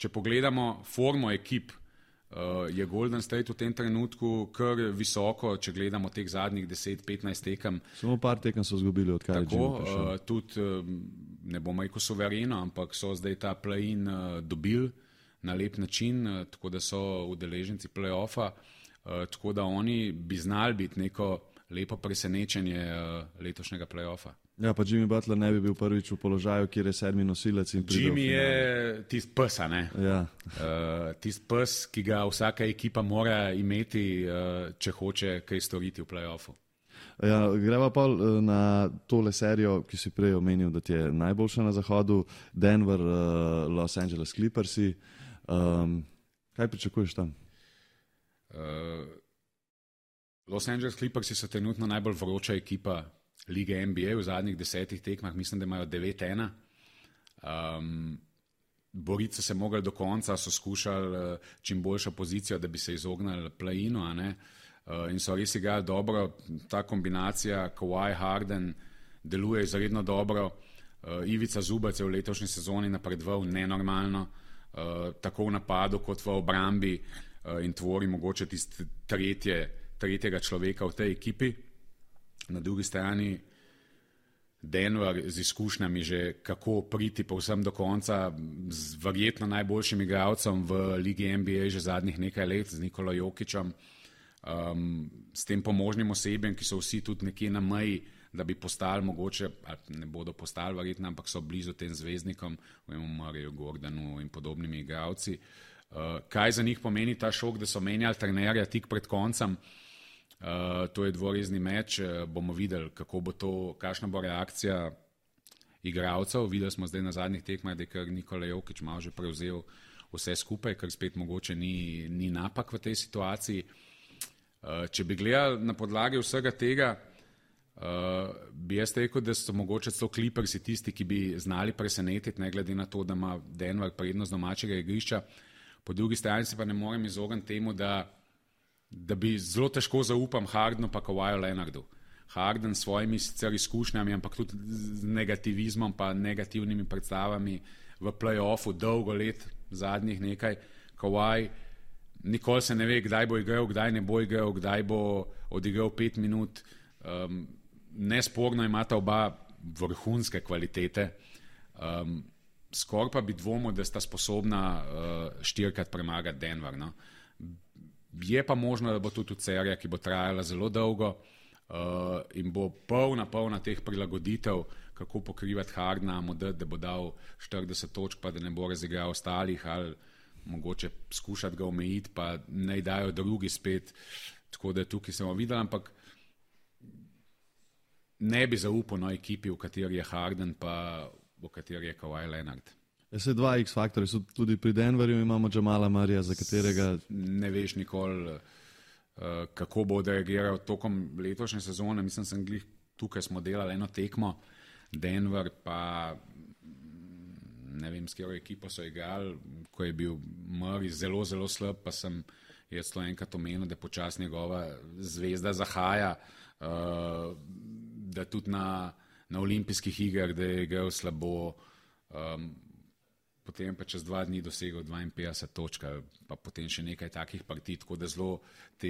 če pogledamo formo ekip, uh, je Golden State v tem trenutku kar visoko, če gledamo teh zadnjih deset petnajst tekem. Samo par tekem so zgubili, odkar je Jimmy prišel. Uh, tudi, uh, ne bom rekel suvereno, ampak so zdaj ta play-in uh, dobili na lep način, uh, tako da so udeleženci play-offa, uh, tako da oni bi znali biti neko lepo presenečenje uh, letošnjega play-offa. Ja, pa Jimmy Butler ne bi bil prvič v položaju, kjer je sedmi nosilec in pride v finale. Jimmy je tist pes, ne? Ja. uh, tist pes, ki ga vsaka ekipa mora imeti, uh, če hoče kaj storiti v play-offu. Ja, greva pa na tole serijo, ki si prej omenil, da ti je najboljša na zahodu, Denver, uh, Los Angeles Clippersi. Um, kaj pričakuješ tam? Uh, Los Angeles Clippersi so trenutno najbolj vroča ekipa lige N B A v zadnjih desetih tekmah, mislim, da imajo devet ena. Um, boriti so se mogli do konca, so skušali uh, čim boljšo pozicijo, da bi se izognali play-inu, a ne? Uh, in so res igrali dobro. Ta kombinacija Kawhi Harden deluje izredno dobro. Uh, Ivica Zubac je v letošnji sezoni napredoval nenormalno, uh, tako v napadu kot v obrambi uh, in tvori mogoče tiste tretje, tretjega človeka v tej ekipi. Na drugi strani Denver z izkušnjami že kako priti povsem do konca z verjetno najboljšim igralcem v ligi N B A že zadnjih nekaj let, z Nikolo Jokićem, um, s tem pomožnim osebjem, ki so vsi tudi nekje na meji, da bi postali mogoče, ali ne bodo postali verjetno, ampak so blizu tem zvezdnikom, vemo Murrayju, Gordonu in podobnimi igralci. Uh, kaj za njih pomeni ta šok, da so menjali trenerja tik pred koncem? Uh, to je dvorezni meč, uh, bomo videli, kako bo to, kakšna bo reakcija igralcev. Videli smo zdaj na zadnjih tekmah, da je kar Nikola Jokić malo že prevzel vse skupaj, kar spet mogoče ni, ni napak v tej situaciji. Uh, če bi gledali na podlagi vsega tega, Uh, bi jaz rekel, da so mogoče celo Clippersi tisti, ki bi znali presenetiti, ne glede na to, da ima Denver prednost domačega igrišča. Po drugi strani se pa ne morem izogniti temu, da, da bi zelo težko zaupam Hardenu pa Kawhiu Leonardu. Harden s svojimi sicer izkušnjami, ampak tudi z negativizmom pa negativnimi predstavami v play-offu dolgo let, zadnjih nekaj. Kawhi nikoli se ne ve, kdaj bo igral, kdaj ne bo igral, kdaj bo odigral pet minut. Um, Nesporno imata oba vrhunske kvalitete, um, skoraj pa bi dvomil, da sta sposobna uh, štirikrat premagati Denver. No? Je pa možno, da bo tudi serija, ki bo trajala zelo dolgo uh, in bo polna, polna teh prilagoditev, kako pokrivati Hardena, model, da bo dal štirideset točk, pa da ne bo razigral ostalih, ali mogoče skušati ga omejiti, pa naj dajo drugi spet. Tako da tukaj smo videli, ampak ne bi zaupal na ekipi, v kateri je Harden, pa v kateri je Kawhi Leonard. Se dva X-faktorja so tudi pri Denverju, imamo Jamala Murrayja, za katerega ne veš nikoli, uh, kako bo reagiral tokom letošnje sezone. Mislim, sem glih, tukaj smo delali eno tekmo, Denver pa ne vem, s katero ekipo so igrali, ko je bil Murray zelo, zelo slab, pa sem jaz to enkrat omenil, da počas njegova zvezda zahaja, uh, da tudi na, na olimpijskih igrah, da je igral slabo, um, potem pa čez dva dni dosegel dvainpetdeset točk, pa potem še nekaj takih partij, tako da zelo te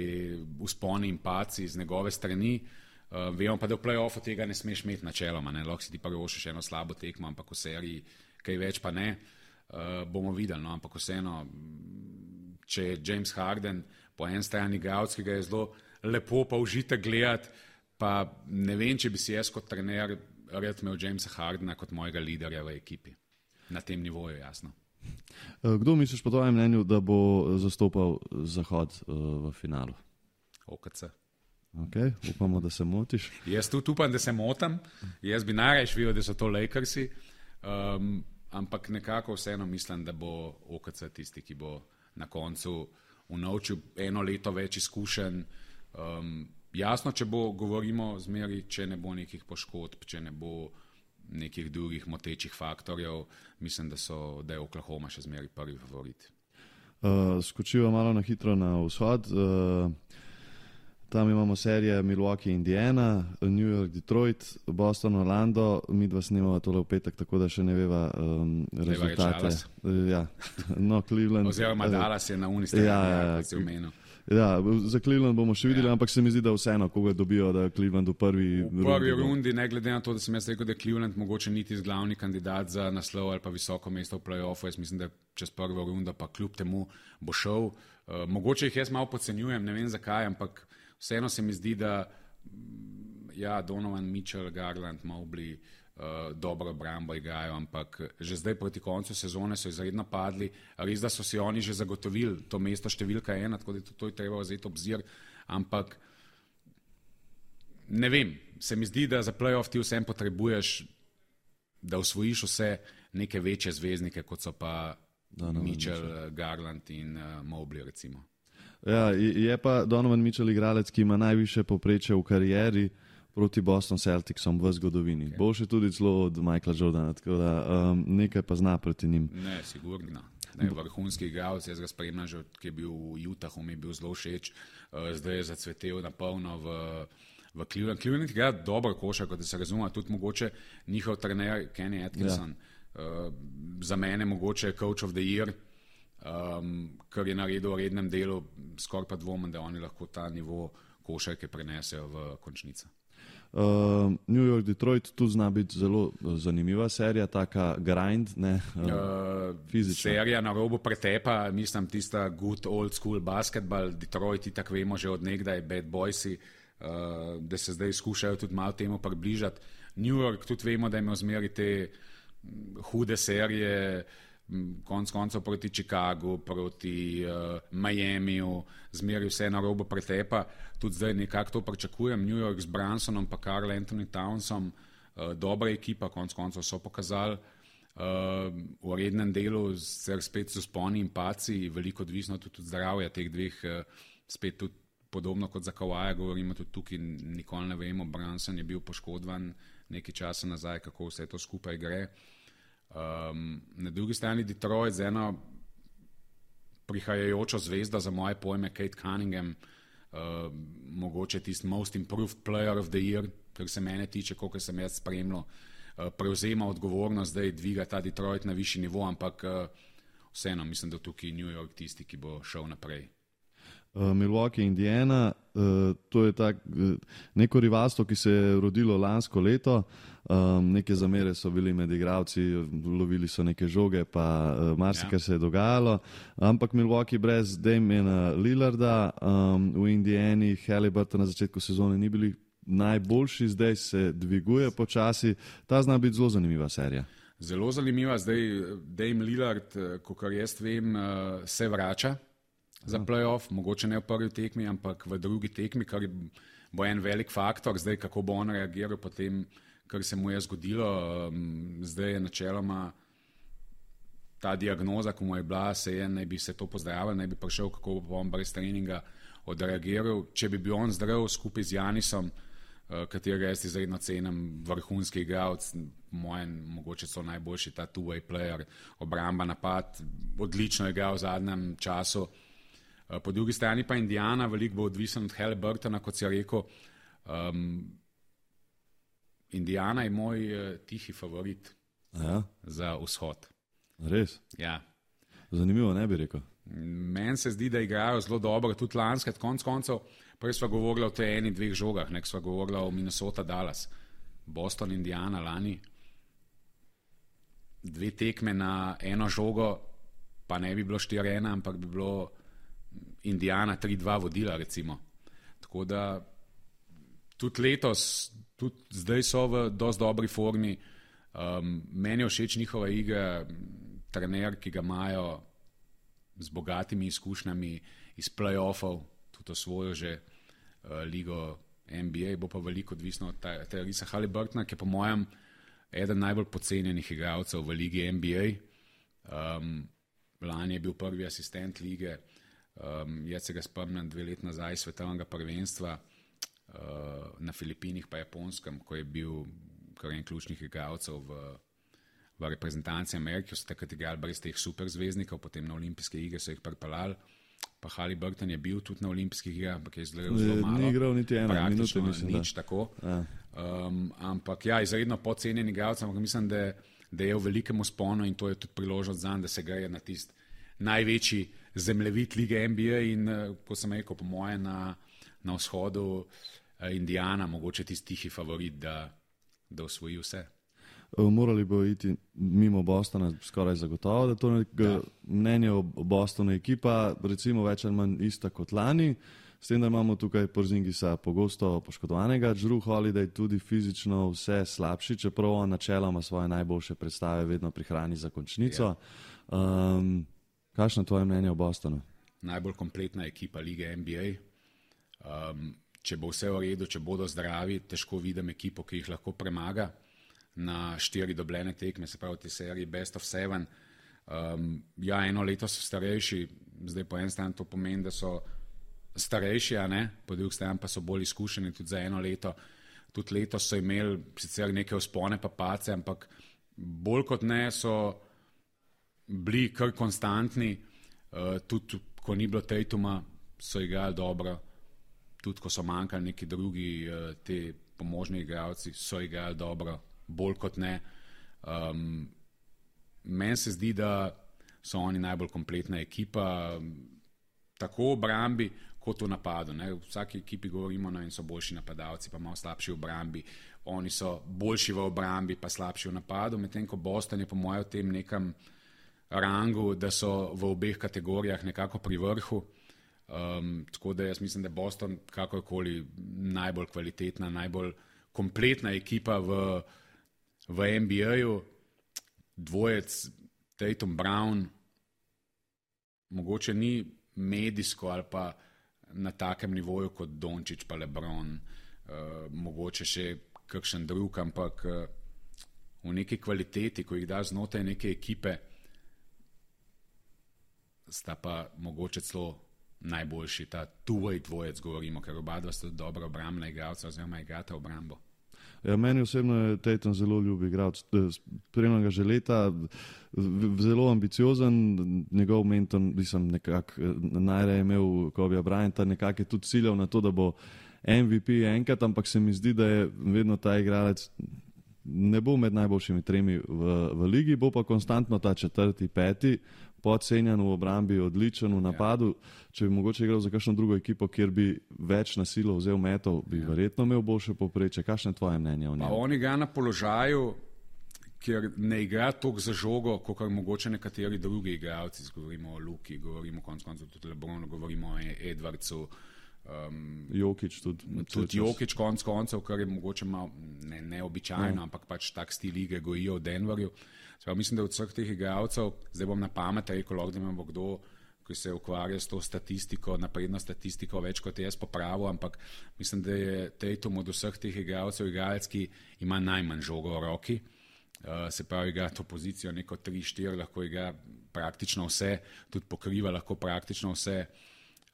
usponi in paci z njegove strani. Uh, vemo pa, da v play-offu tega ne smeš imeti načeloma, ne? Lahko si ti privoščiš eno slabo tekmo, ampak v seriji kaj več pa ne. Uh, bomo videli, no? Ampak vseeno, če je James Harden po en strani igralec, ki ga je zelo lepo pa užitek gledati, pa ne vem, če bi si jaz kot trener rad imel Jamesa Hardena kot mojega liderja v ekipi. Na tem nivoju, jasno. Kdo misliš po tvojem mnenju, da bo zastopal Zahod uh, v finalu? O K C. Ok, upamo, da se motiš. Jaz tudi upam, da se motam. Jaz bi najraje videl, da so to Lakersi, um, ampak nekako vseeno mislim, da bo O K C tisti, ki bo na koncu unovčil eno leto več izkušenj. Um, Jasno, če bo, govorimo zmeri, če ne bo nekih poškodb, če ne bo nekih drugih motečih faktorjev, mislim, da, so, da je Oklahoma še zmeri prvi favorit. Uh, skočiva malo na hitro na vzhod. Uh, tam imamo serije Milwaukee, Indiana, New York, Detroit, Boston, Orlando. Mi dva snimava tole v petek, tako da še ne veva um, rezultate. Uh, ja. No, Cleveland. Oziroma Dallas je na uni strani, ja, ja, kot si omenil. Ja, za Cleveland bomo še videli, ja. Ampak se mi zdi, da vseeno, koga dobijo, da Cleveland v prvi rundi. V prvi rundi, ne glede na to, da sem jaz rekel, da je Cleveland mogoče niti glavni kandidat za naslov ali pa visoko mesto v play-offu. Jaz mislim, da čez prvo rundo pa kljub temu bo šel. Uh, mogoče jih jaz malo podcenjujem, ne vem zakaj, ampak vseeno se mi zdi, da ja, Donovan Mitchell, Garland, Mobley uh, dobro obrambo igrajo, ampak že zdaj proti koncu sezone so izredno padli. Res, da so si oni že zagotovili to mesto številka ena, tako da to, to je treba vzeti obzir, ampak ne vem, se mi zdi, da za play-off ti vsem potrebuješ, da osvojiš vse neke večje zvezdnike, kot so pa Donovan Mitchell, Mitchell, Garland in uh, Mobley recimo. Ja, je pa Donovan Mitchell igralec, ki ima najviše povprečje v karieri proti Boston Celticsom v zgodovini. Okay. Boljše tudi zelo od Michaela Jordana, tako da um, nekaj pa zna proti njim. Ne, sigurno. Ne, vrhunski igralec, jaz ga spremljam že, ki je bil v Utahu, mi je bil zelo všeč, uh, zdaj je zacvetel na polno v, v Cleveland. Cleveland igra dobro košarko, da se razume, tudi mogoče njihov trener Kenny Atkinson. Ja. Uh, za mene mogoče coach of the year, um, kar je naredil v rednem delu, skoraj pa dvomim, da oni lahko ta nivo košarke prenesejo v končnico. Uh, New York, Detroit, tu zna biti zelo zanimiva serija, taka grind, ne, uh, uh, serija na robu pretepa, mislim tista good old school basketball, Detroit, tako vemo že od nekdaj, bad boysi, uh, da se zdaj skušajo tudi malo temu približati. New York, tudi vemo, da ima zmeri te hude serije, konc koncev proti Chicagu, proti uh, Miamiju, zmeri vse na robu pretepa. Tudi zdaj nekako to pričakujem. New York z Brunsonom pa Karl Anthony Townsom, uh, dobra ekipa, konc koncev so pokazali uh, v rednem delu, ser spet so sponi in paci, veliko odvisno tudi od zdravja teh dveh, uh, spet tudi podobno kot za Kawaja, govorimo tudi tukaj, nikoli ne vemo, Brunson je bil poškodovan nekaj časa nazaj, kako vse to skupaj gre. Um, na drugi strani Detroit z eno prihajajočo zvezdo, za moje pojme Kate Cunningham, uh, mogoče tisti most improved player of the year, kar se mene tiče, koliko sem jaz spremljal, uh, prevzema odgovornost, da je dviga ta Detroit na višji nivo, ampak uh, vseeno mislim, da tukaj New York tisti, ki bo šel naprej. Uh, Milwaukee, Indiana, uh, to je tak, uh, neko rivalstvo, ki se je rodilo lansko leto, um, neke zamere so bili med igralci, lovili so neke žoge, pa uh, marsikaj ja. se je dogajalo, ampak Milwaukee brez Damiana Lillarda, um, v Indiani Haliburton na začetku sezone ni bili najboljši, zdaj se dviguje počasi, ta zna biti zelo zanimiva serija. Zelo zanimiva, zdaj Dame Lillard, kakor jaz vem, se vrača za playoff, mogoče ne v prvi tekmi, ampak v drugi tekmi, kar bo en velik faktor, zdaj kako bo on reagiral po tem, kar se mu je zgodilo. Zdaj je načeloma ta diagnoza, ko mu je bila, se je, naj bi se to pozdravil, naj bi prišel, kako bo on brez treninga odreagiral. Če bi bil on zdrav skupaj z Janisom, katerega jaz izredno cenim, vrhunski igralec, mojen, mogoče so najboljši ta two-way player, obramba, napad, odlično je igral v zadnjem času. Po drugi strani pa Indiana, veliko bo odvisen od Haliburtona, kot si rekel. Um, Indiana je moj uh, tihi favorit ja. za vzhod. Res? Ja. Zanimivo, ne bi rekel. Meni se zdi, da igrajo zelo dobro, tudi lanskrat, konc koncev, prej sva govorila o tej eni dveh žogah, nek sva govorila o Minnesota Dallas, Boston, Indiana, lani. Dve tekme na eno žogo, pa ne bi bilo štiri ena, ampak bi bilo Indiana tri dva vodila, recimo. Tako da tudi letos, tudi zdaj so v dosti dobri formi. Um, meni je všeč njihova igra, trener, ki ga imajo z bogatimi izkušnjami iz play-offov, tudi osvojo že uh, ligo N B A, bo pa veliko odvisno od Tyrese Haliburtona, ki je po mojem eden najbolj podcenjenih igralcev v ligi N B A. Um, lani je bil prvi asistent lige, um, jaz se ga spomnim dve let nazaj svetovnega prvenstva, uh, na Filipinih pa Japonskem, ko je bil kar en ključnih igralcev v, v reprezentanci Amerike, so takrat igrali brez teh superzvezdnikov, potem na olimpijske igre so jih pripeljali, pa Haliburton je bil tudi na olimpijskih igrah, ampak je zelo malo. Ni igral niti ena minuta, mislim, nič da. Tako. Ja. Um, ampak ja, izredno podcenjen igralec, ampak mislim, da, da je v velikem usponu in to je tudi priložnost zanj, da se greje na tist največji zemljevid lige N B A in, ko sem rekel, po moje na, na vzhodu uh, Indiana, mogoče tisti tihi favorit, da da osvoji vse. Morali bo iti mimo Bostona skoraj zagotovo, da to je mnenje o Bostonu ekipa, recimo več ali manj ista kot lani, s tem, da imamo tukaj Porzingisa pogosto poškodovanega, Jrue Holiday tudi fizično vse slabši, čeprav on načeloma svoje najboljše predstave vedno prihrani za končnico. Um, kakšno je tvoje mnenje o Bostonu? Najbolj kompletna ekipa lige N B A. Um, Če bo vse v redu, če bodo zdravi, težko vidim ekipo, ki jih lahko premaga na štiri dobljene tekme, se pravi te seriji Best of Seven. Um, ja, eno leto so starejši, zdaj po en stran to pomeni, da so starejši, a ne, po drugi stran pa so bolj izkušeni tudi za eno leto. Tudi letos so imeli sicer neke vzpone pa pace, ampak bolj kot ne so bili kar konstantni, uh, tudi ko ni bilo Tatuma, so igrali dobro. tudi ko so manjkali neki drugi, uh, te pomožni igralci, so igrali dobro, bolj kot ne. Um, meni se zdi, da so oni najbolj kompletna ekipa, tako v obrambi, kot v napadu. Ne. V vsaki ekipi govorimo, no, in so boljši napadalci, pa malo slabši v obrambi. Oni so boljši v obrambi, pa slabši v napadu, medtem ko Boston je po mojem v tem nekem rangu, da so v obeh kategorijah nekako pri vrhu. Um, tako da jaz mislim, da je Boston kakorkoli najbolj kvalitetna, najbolj kompletna ekipa v, v N B A-ju. Dvojec Tatum Brown mogoče ni medijsko ali pa na takem nivoju kot Dončić pa LeBron, uh, mogoče še kakšen drug, ampak uh, v neki kvaliteti, ko jih da znotraj neke ekipe, sta pa mogoče celo najboljši, ta two-way dvojec govorimo, ker oba dva sta dobra obrambna igralca oziroma igrata obrambo. Ja, meni osebno je Tatum zelo ljub igralec, spremljam ga že leta, zelo ambiciozen, njegov mentor, mislim, nekako najraje imel Kobe Bryanta, nekako je tudi ciljal na to, da bo M V P enkrat, ampak se mi zdi, da je vedno ta igralec, ne bo med najboljšimi tremi v, v ligi, bo pa konstantno ta četrti, peti, podcenjen v obrambi, odličen v napadu. Ja. Če bi mogoče igral za kakšno drugo ekipo, kjer bi več na silo vzel metov, bi ja. verjetno imel boljše povprečje. Kakšno je tvoje mnenje o njem? On igra na položaju, kjer ne igra toliko za žogo, kot mogoče nekateri drugi igralci. Govorimo o Luki, govorimo konec koncev tudi o Lebronu, govorimo o Edwardsu. Um, Jokić tudi. Tudi Jokić konec koncev, kar je mogoče malo ne, neobičajno, ja. ampak pač tak stil igre gojijo v Denverju. Sprav, mislim, da od vseh teh igralcev, zdaj bom na pamet rekel, lahko da imamo kdo, ki se ukvarja s to statistiko, napredno statistiko, več kot jaz popravil, ampak mislim, da je Tatum od vseh teh igralcev igralec, ki ima najmanj žogo v roki. Uh, se pravi, igra to pozicijo neko tri štiri, lahko igra praktično vse, tudi pokriva lahko praktično vse.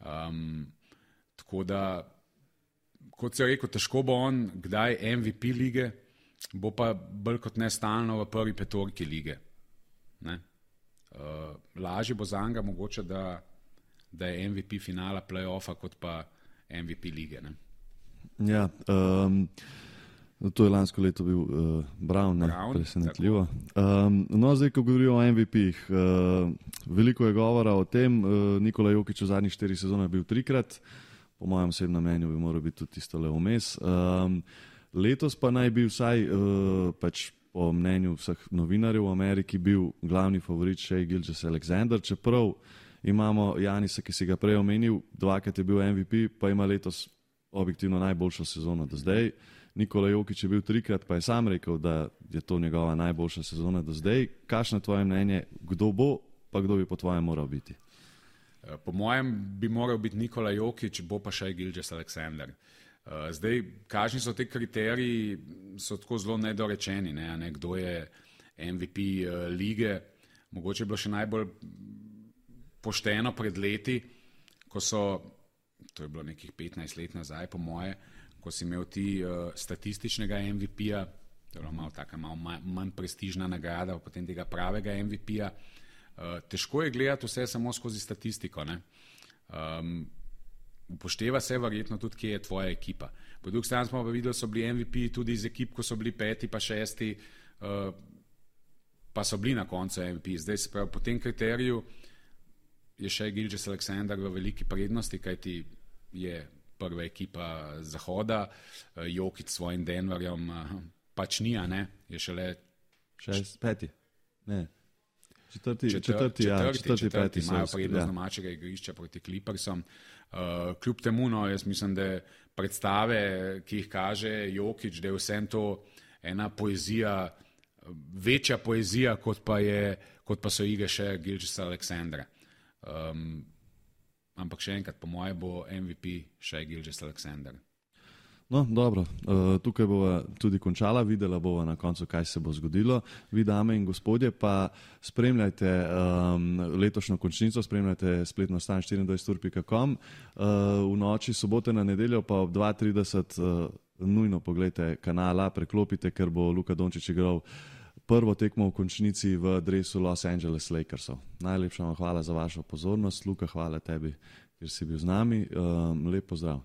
Um, tako da, kot se je rekel, težko bo on kdaj M V P lige, bo pa bolj kot ne stalno v prvi petorki lige. Ne? Uh, lažje bo za njega mogoče, da, da je M V P finala play-offa kot pa M V P lige. Ne? Ja, um, to je lansko leto bil uh, Brown, ne? Brown, presenetljivo. Um, no, zdaj, ko govorijo o M V P-jih, uh, veliko je govora o tem, uh, Nikola Jokić v zadnjih štirih sezonah bil trikrat, po mojem osebnem mnenju bi moral biti tudi tisto le vmes. Um, Letos pa naj bi vsaj, uh, pač po mnenju vseh novinarjev v Ameriki, bil glavni favorit Shai Gilgeous-Alexander, čeprav imamo Janisa, ki si ga prej omenil, dvakrat je bil M V P, pa ima letos objektivno najboljšo sezono do zdaj. Nikola Jokić je bil trikrat, pa je sam rekel, da je to njegova najboljša sezona do zdaj. Kakšno je tvoje mnenje, kdo bo, pa kdo bi po tvojem moral biti? Po mojem bi moral biti Nikola Jokić, bo pa Shai Gilgeous-Alexander. Uh, zdaj, kakšni so te kriteriji, so tako zelo nedorečeni, ne, ne, kdo je M V P uh, lige. Mogoče je bilo še najbolj pošteno pred leti, ko so, to je bilo nekih petnajst let nazaj po moje, ko si imel ti uh, statističnega M V P-ja, to je malo taka malo manj prestižna nagrada, potem tega pravega M V P-ja. Uh, težko je gledati vse samo skozi statistiko, ne. Um, Upošteva se verjetno tudi, kje je tvoja ekipa. Po drugi strani smo pa videli, so bili M V P tudi iz ekip, ko so bili peti pa šesti, uh, pa so bili na koncu M V P. Zdaj se pravi, po tem kriteriju je Shai Gilgeous-Alexander v veliki prednosti, kajti je prva ekipa Zahoda, uh, Jokić s svojim Denverjem uh, pač ni, a ne, je šele šest, peti, ne. Četrti, četrti, četrti, ja, četrti, četrti, četrti peti imajo so, prednost ja. domačega igrišča proti Clippersom. Uh, kljub temu, no, jaz mislim, da predstave, ki jih kaže Jokić, da je vsem to ena poezija, večja poezija, kot pa, je, kot pa so igre še Gilgeous-Alexandra. Um, ampak še enkrat, po moje bo M V P še Gilgeous-Alexander. No, dobro, uh, tukaj bova tudi končala, videla bova na koncu, kaj se bo zgodilo. Vi, dame in gospodje, pa spremljajte um, letošnjo končnico, spremljajte spletno stran štiriindvajset ur pika com. Uh, v noči sobote na nedeljo pa ob dva trideset uh, nujno pogledajte kanala, preklopite, ker bo Luka Dončić igral prvo tekmo v končnici v dresu Los Angeles Lakersov. Najlepša vam hvala za vašo pozornost. Luka, hvala tebi, ker si bil z nami. Um, lep pozdrav.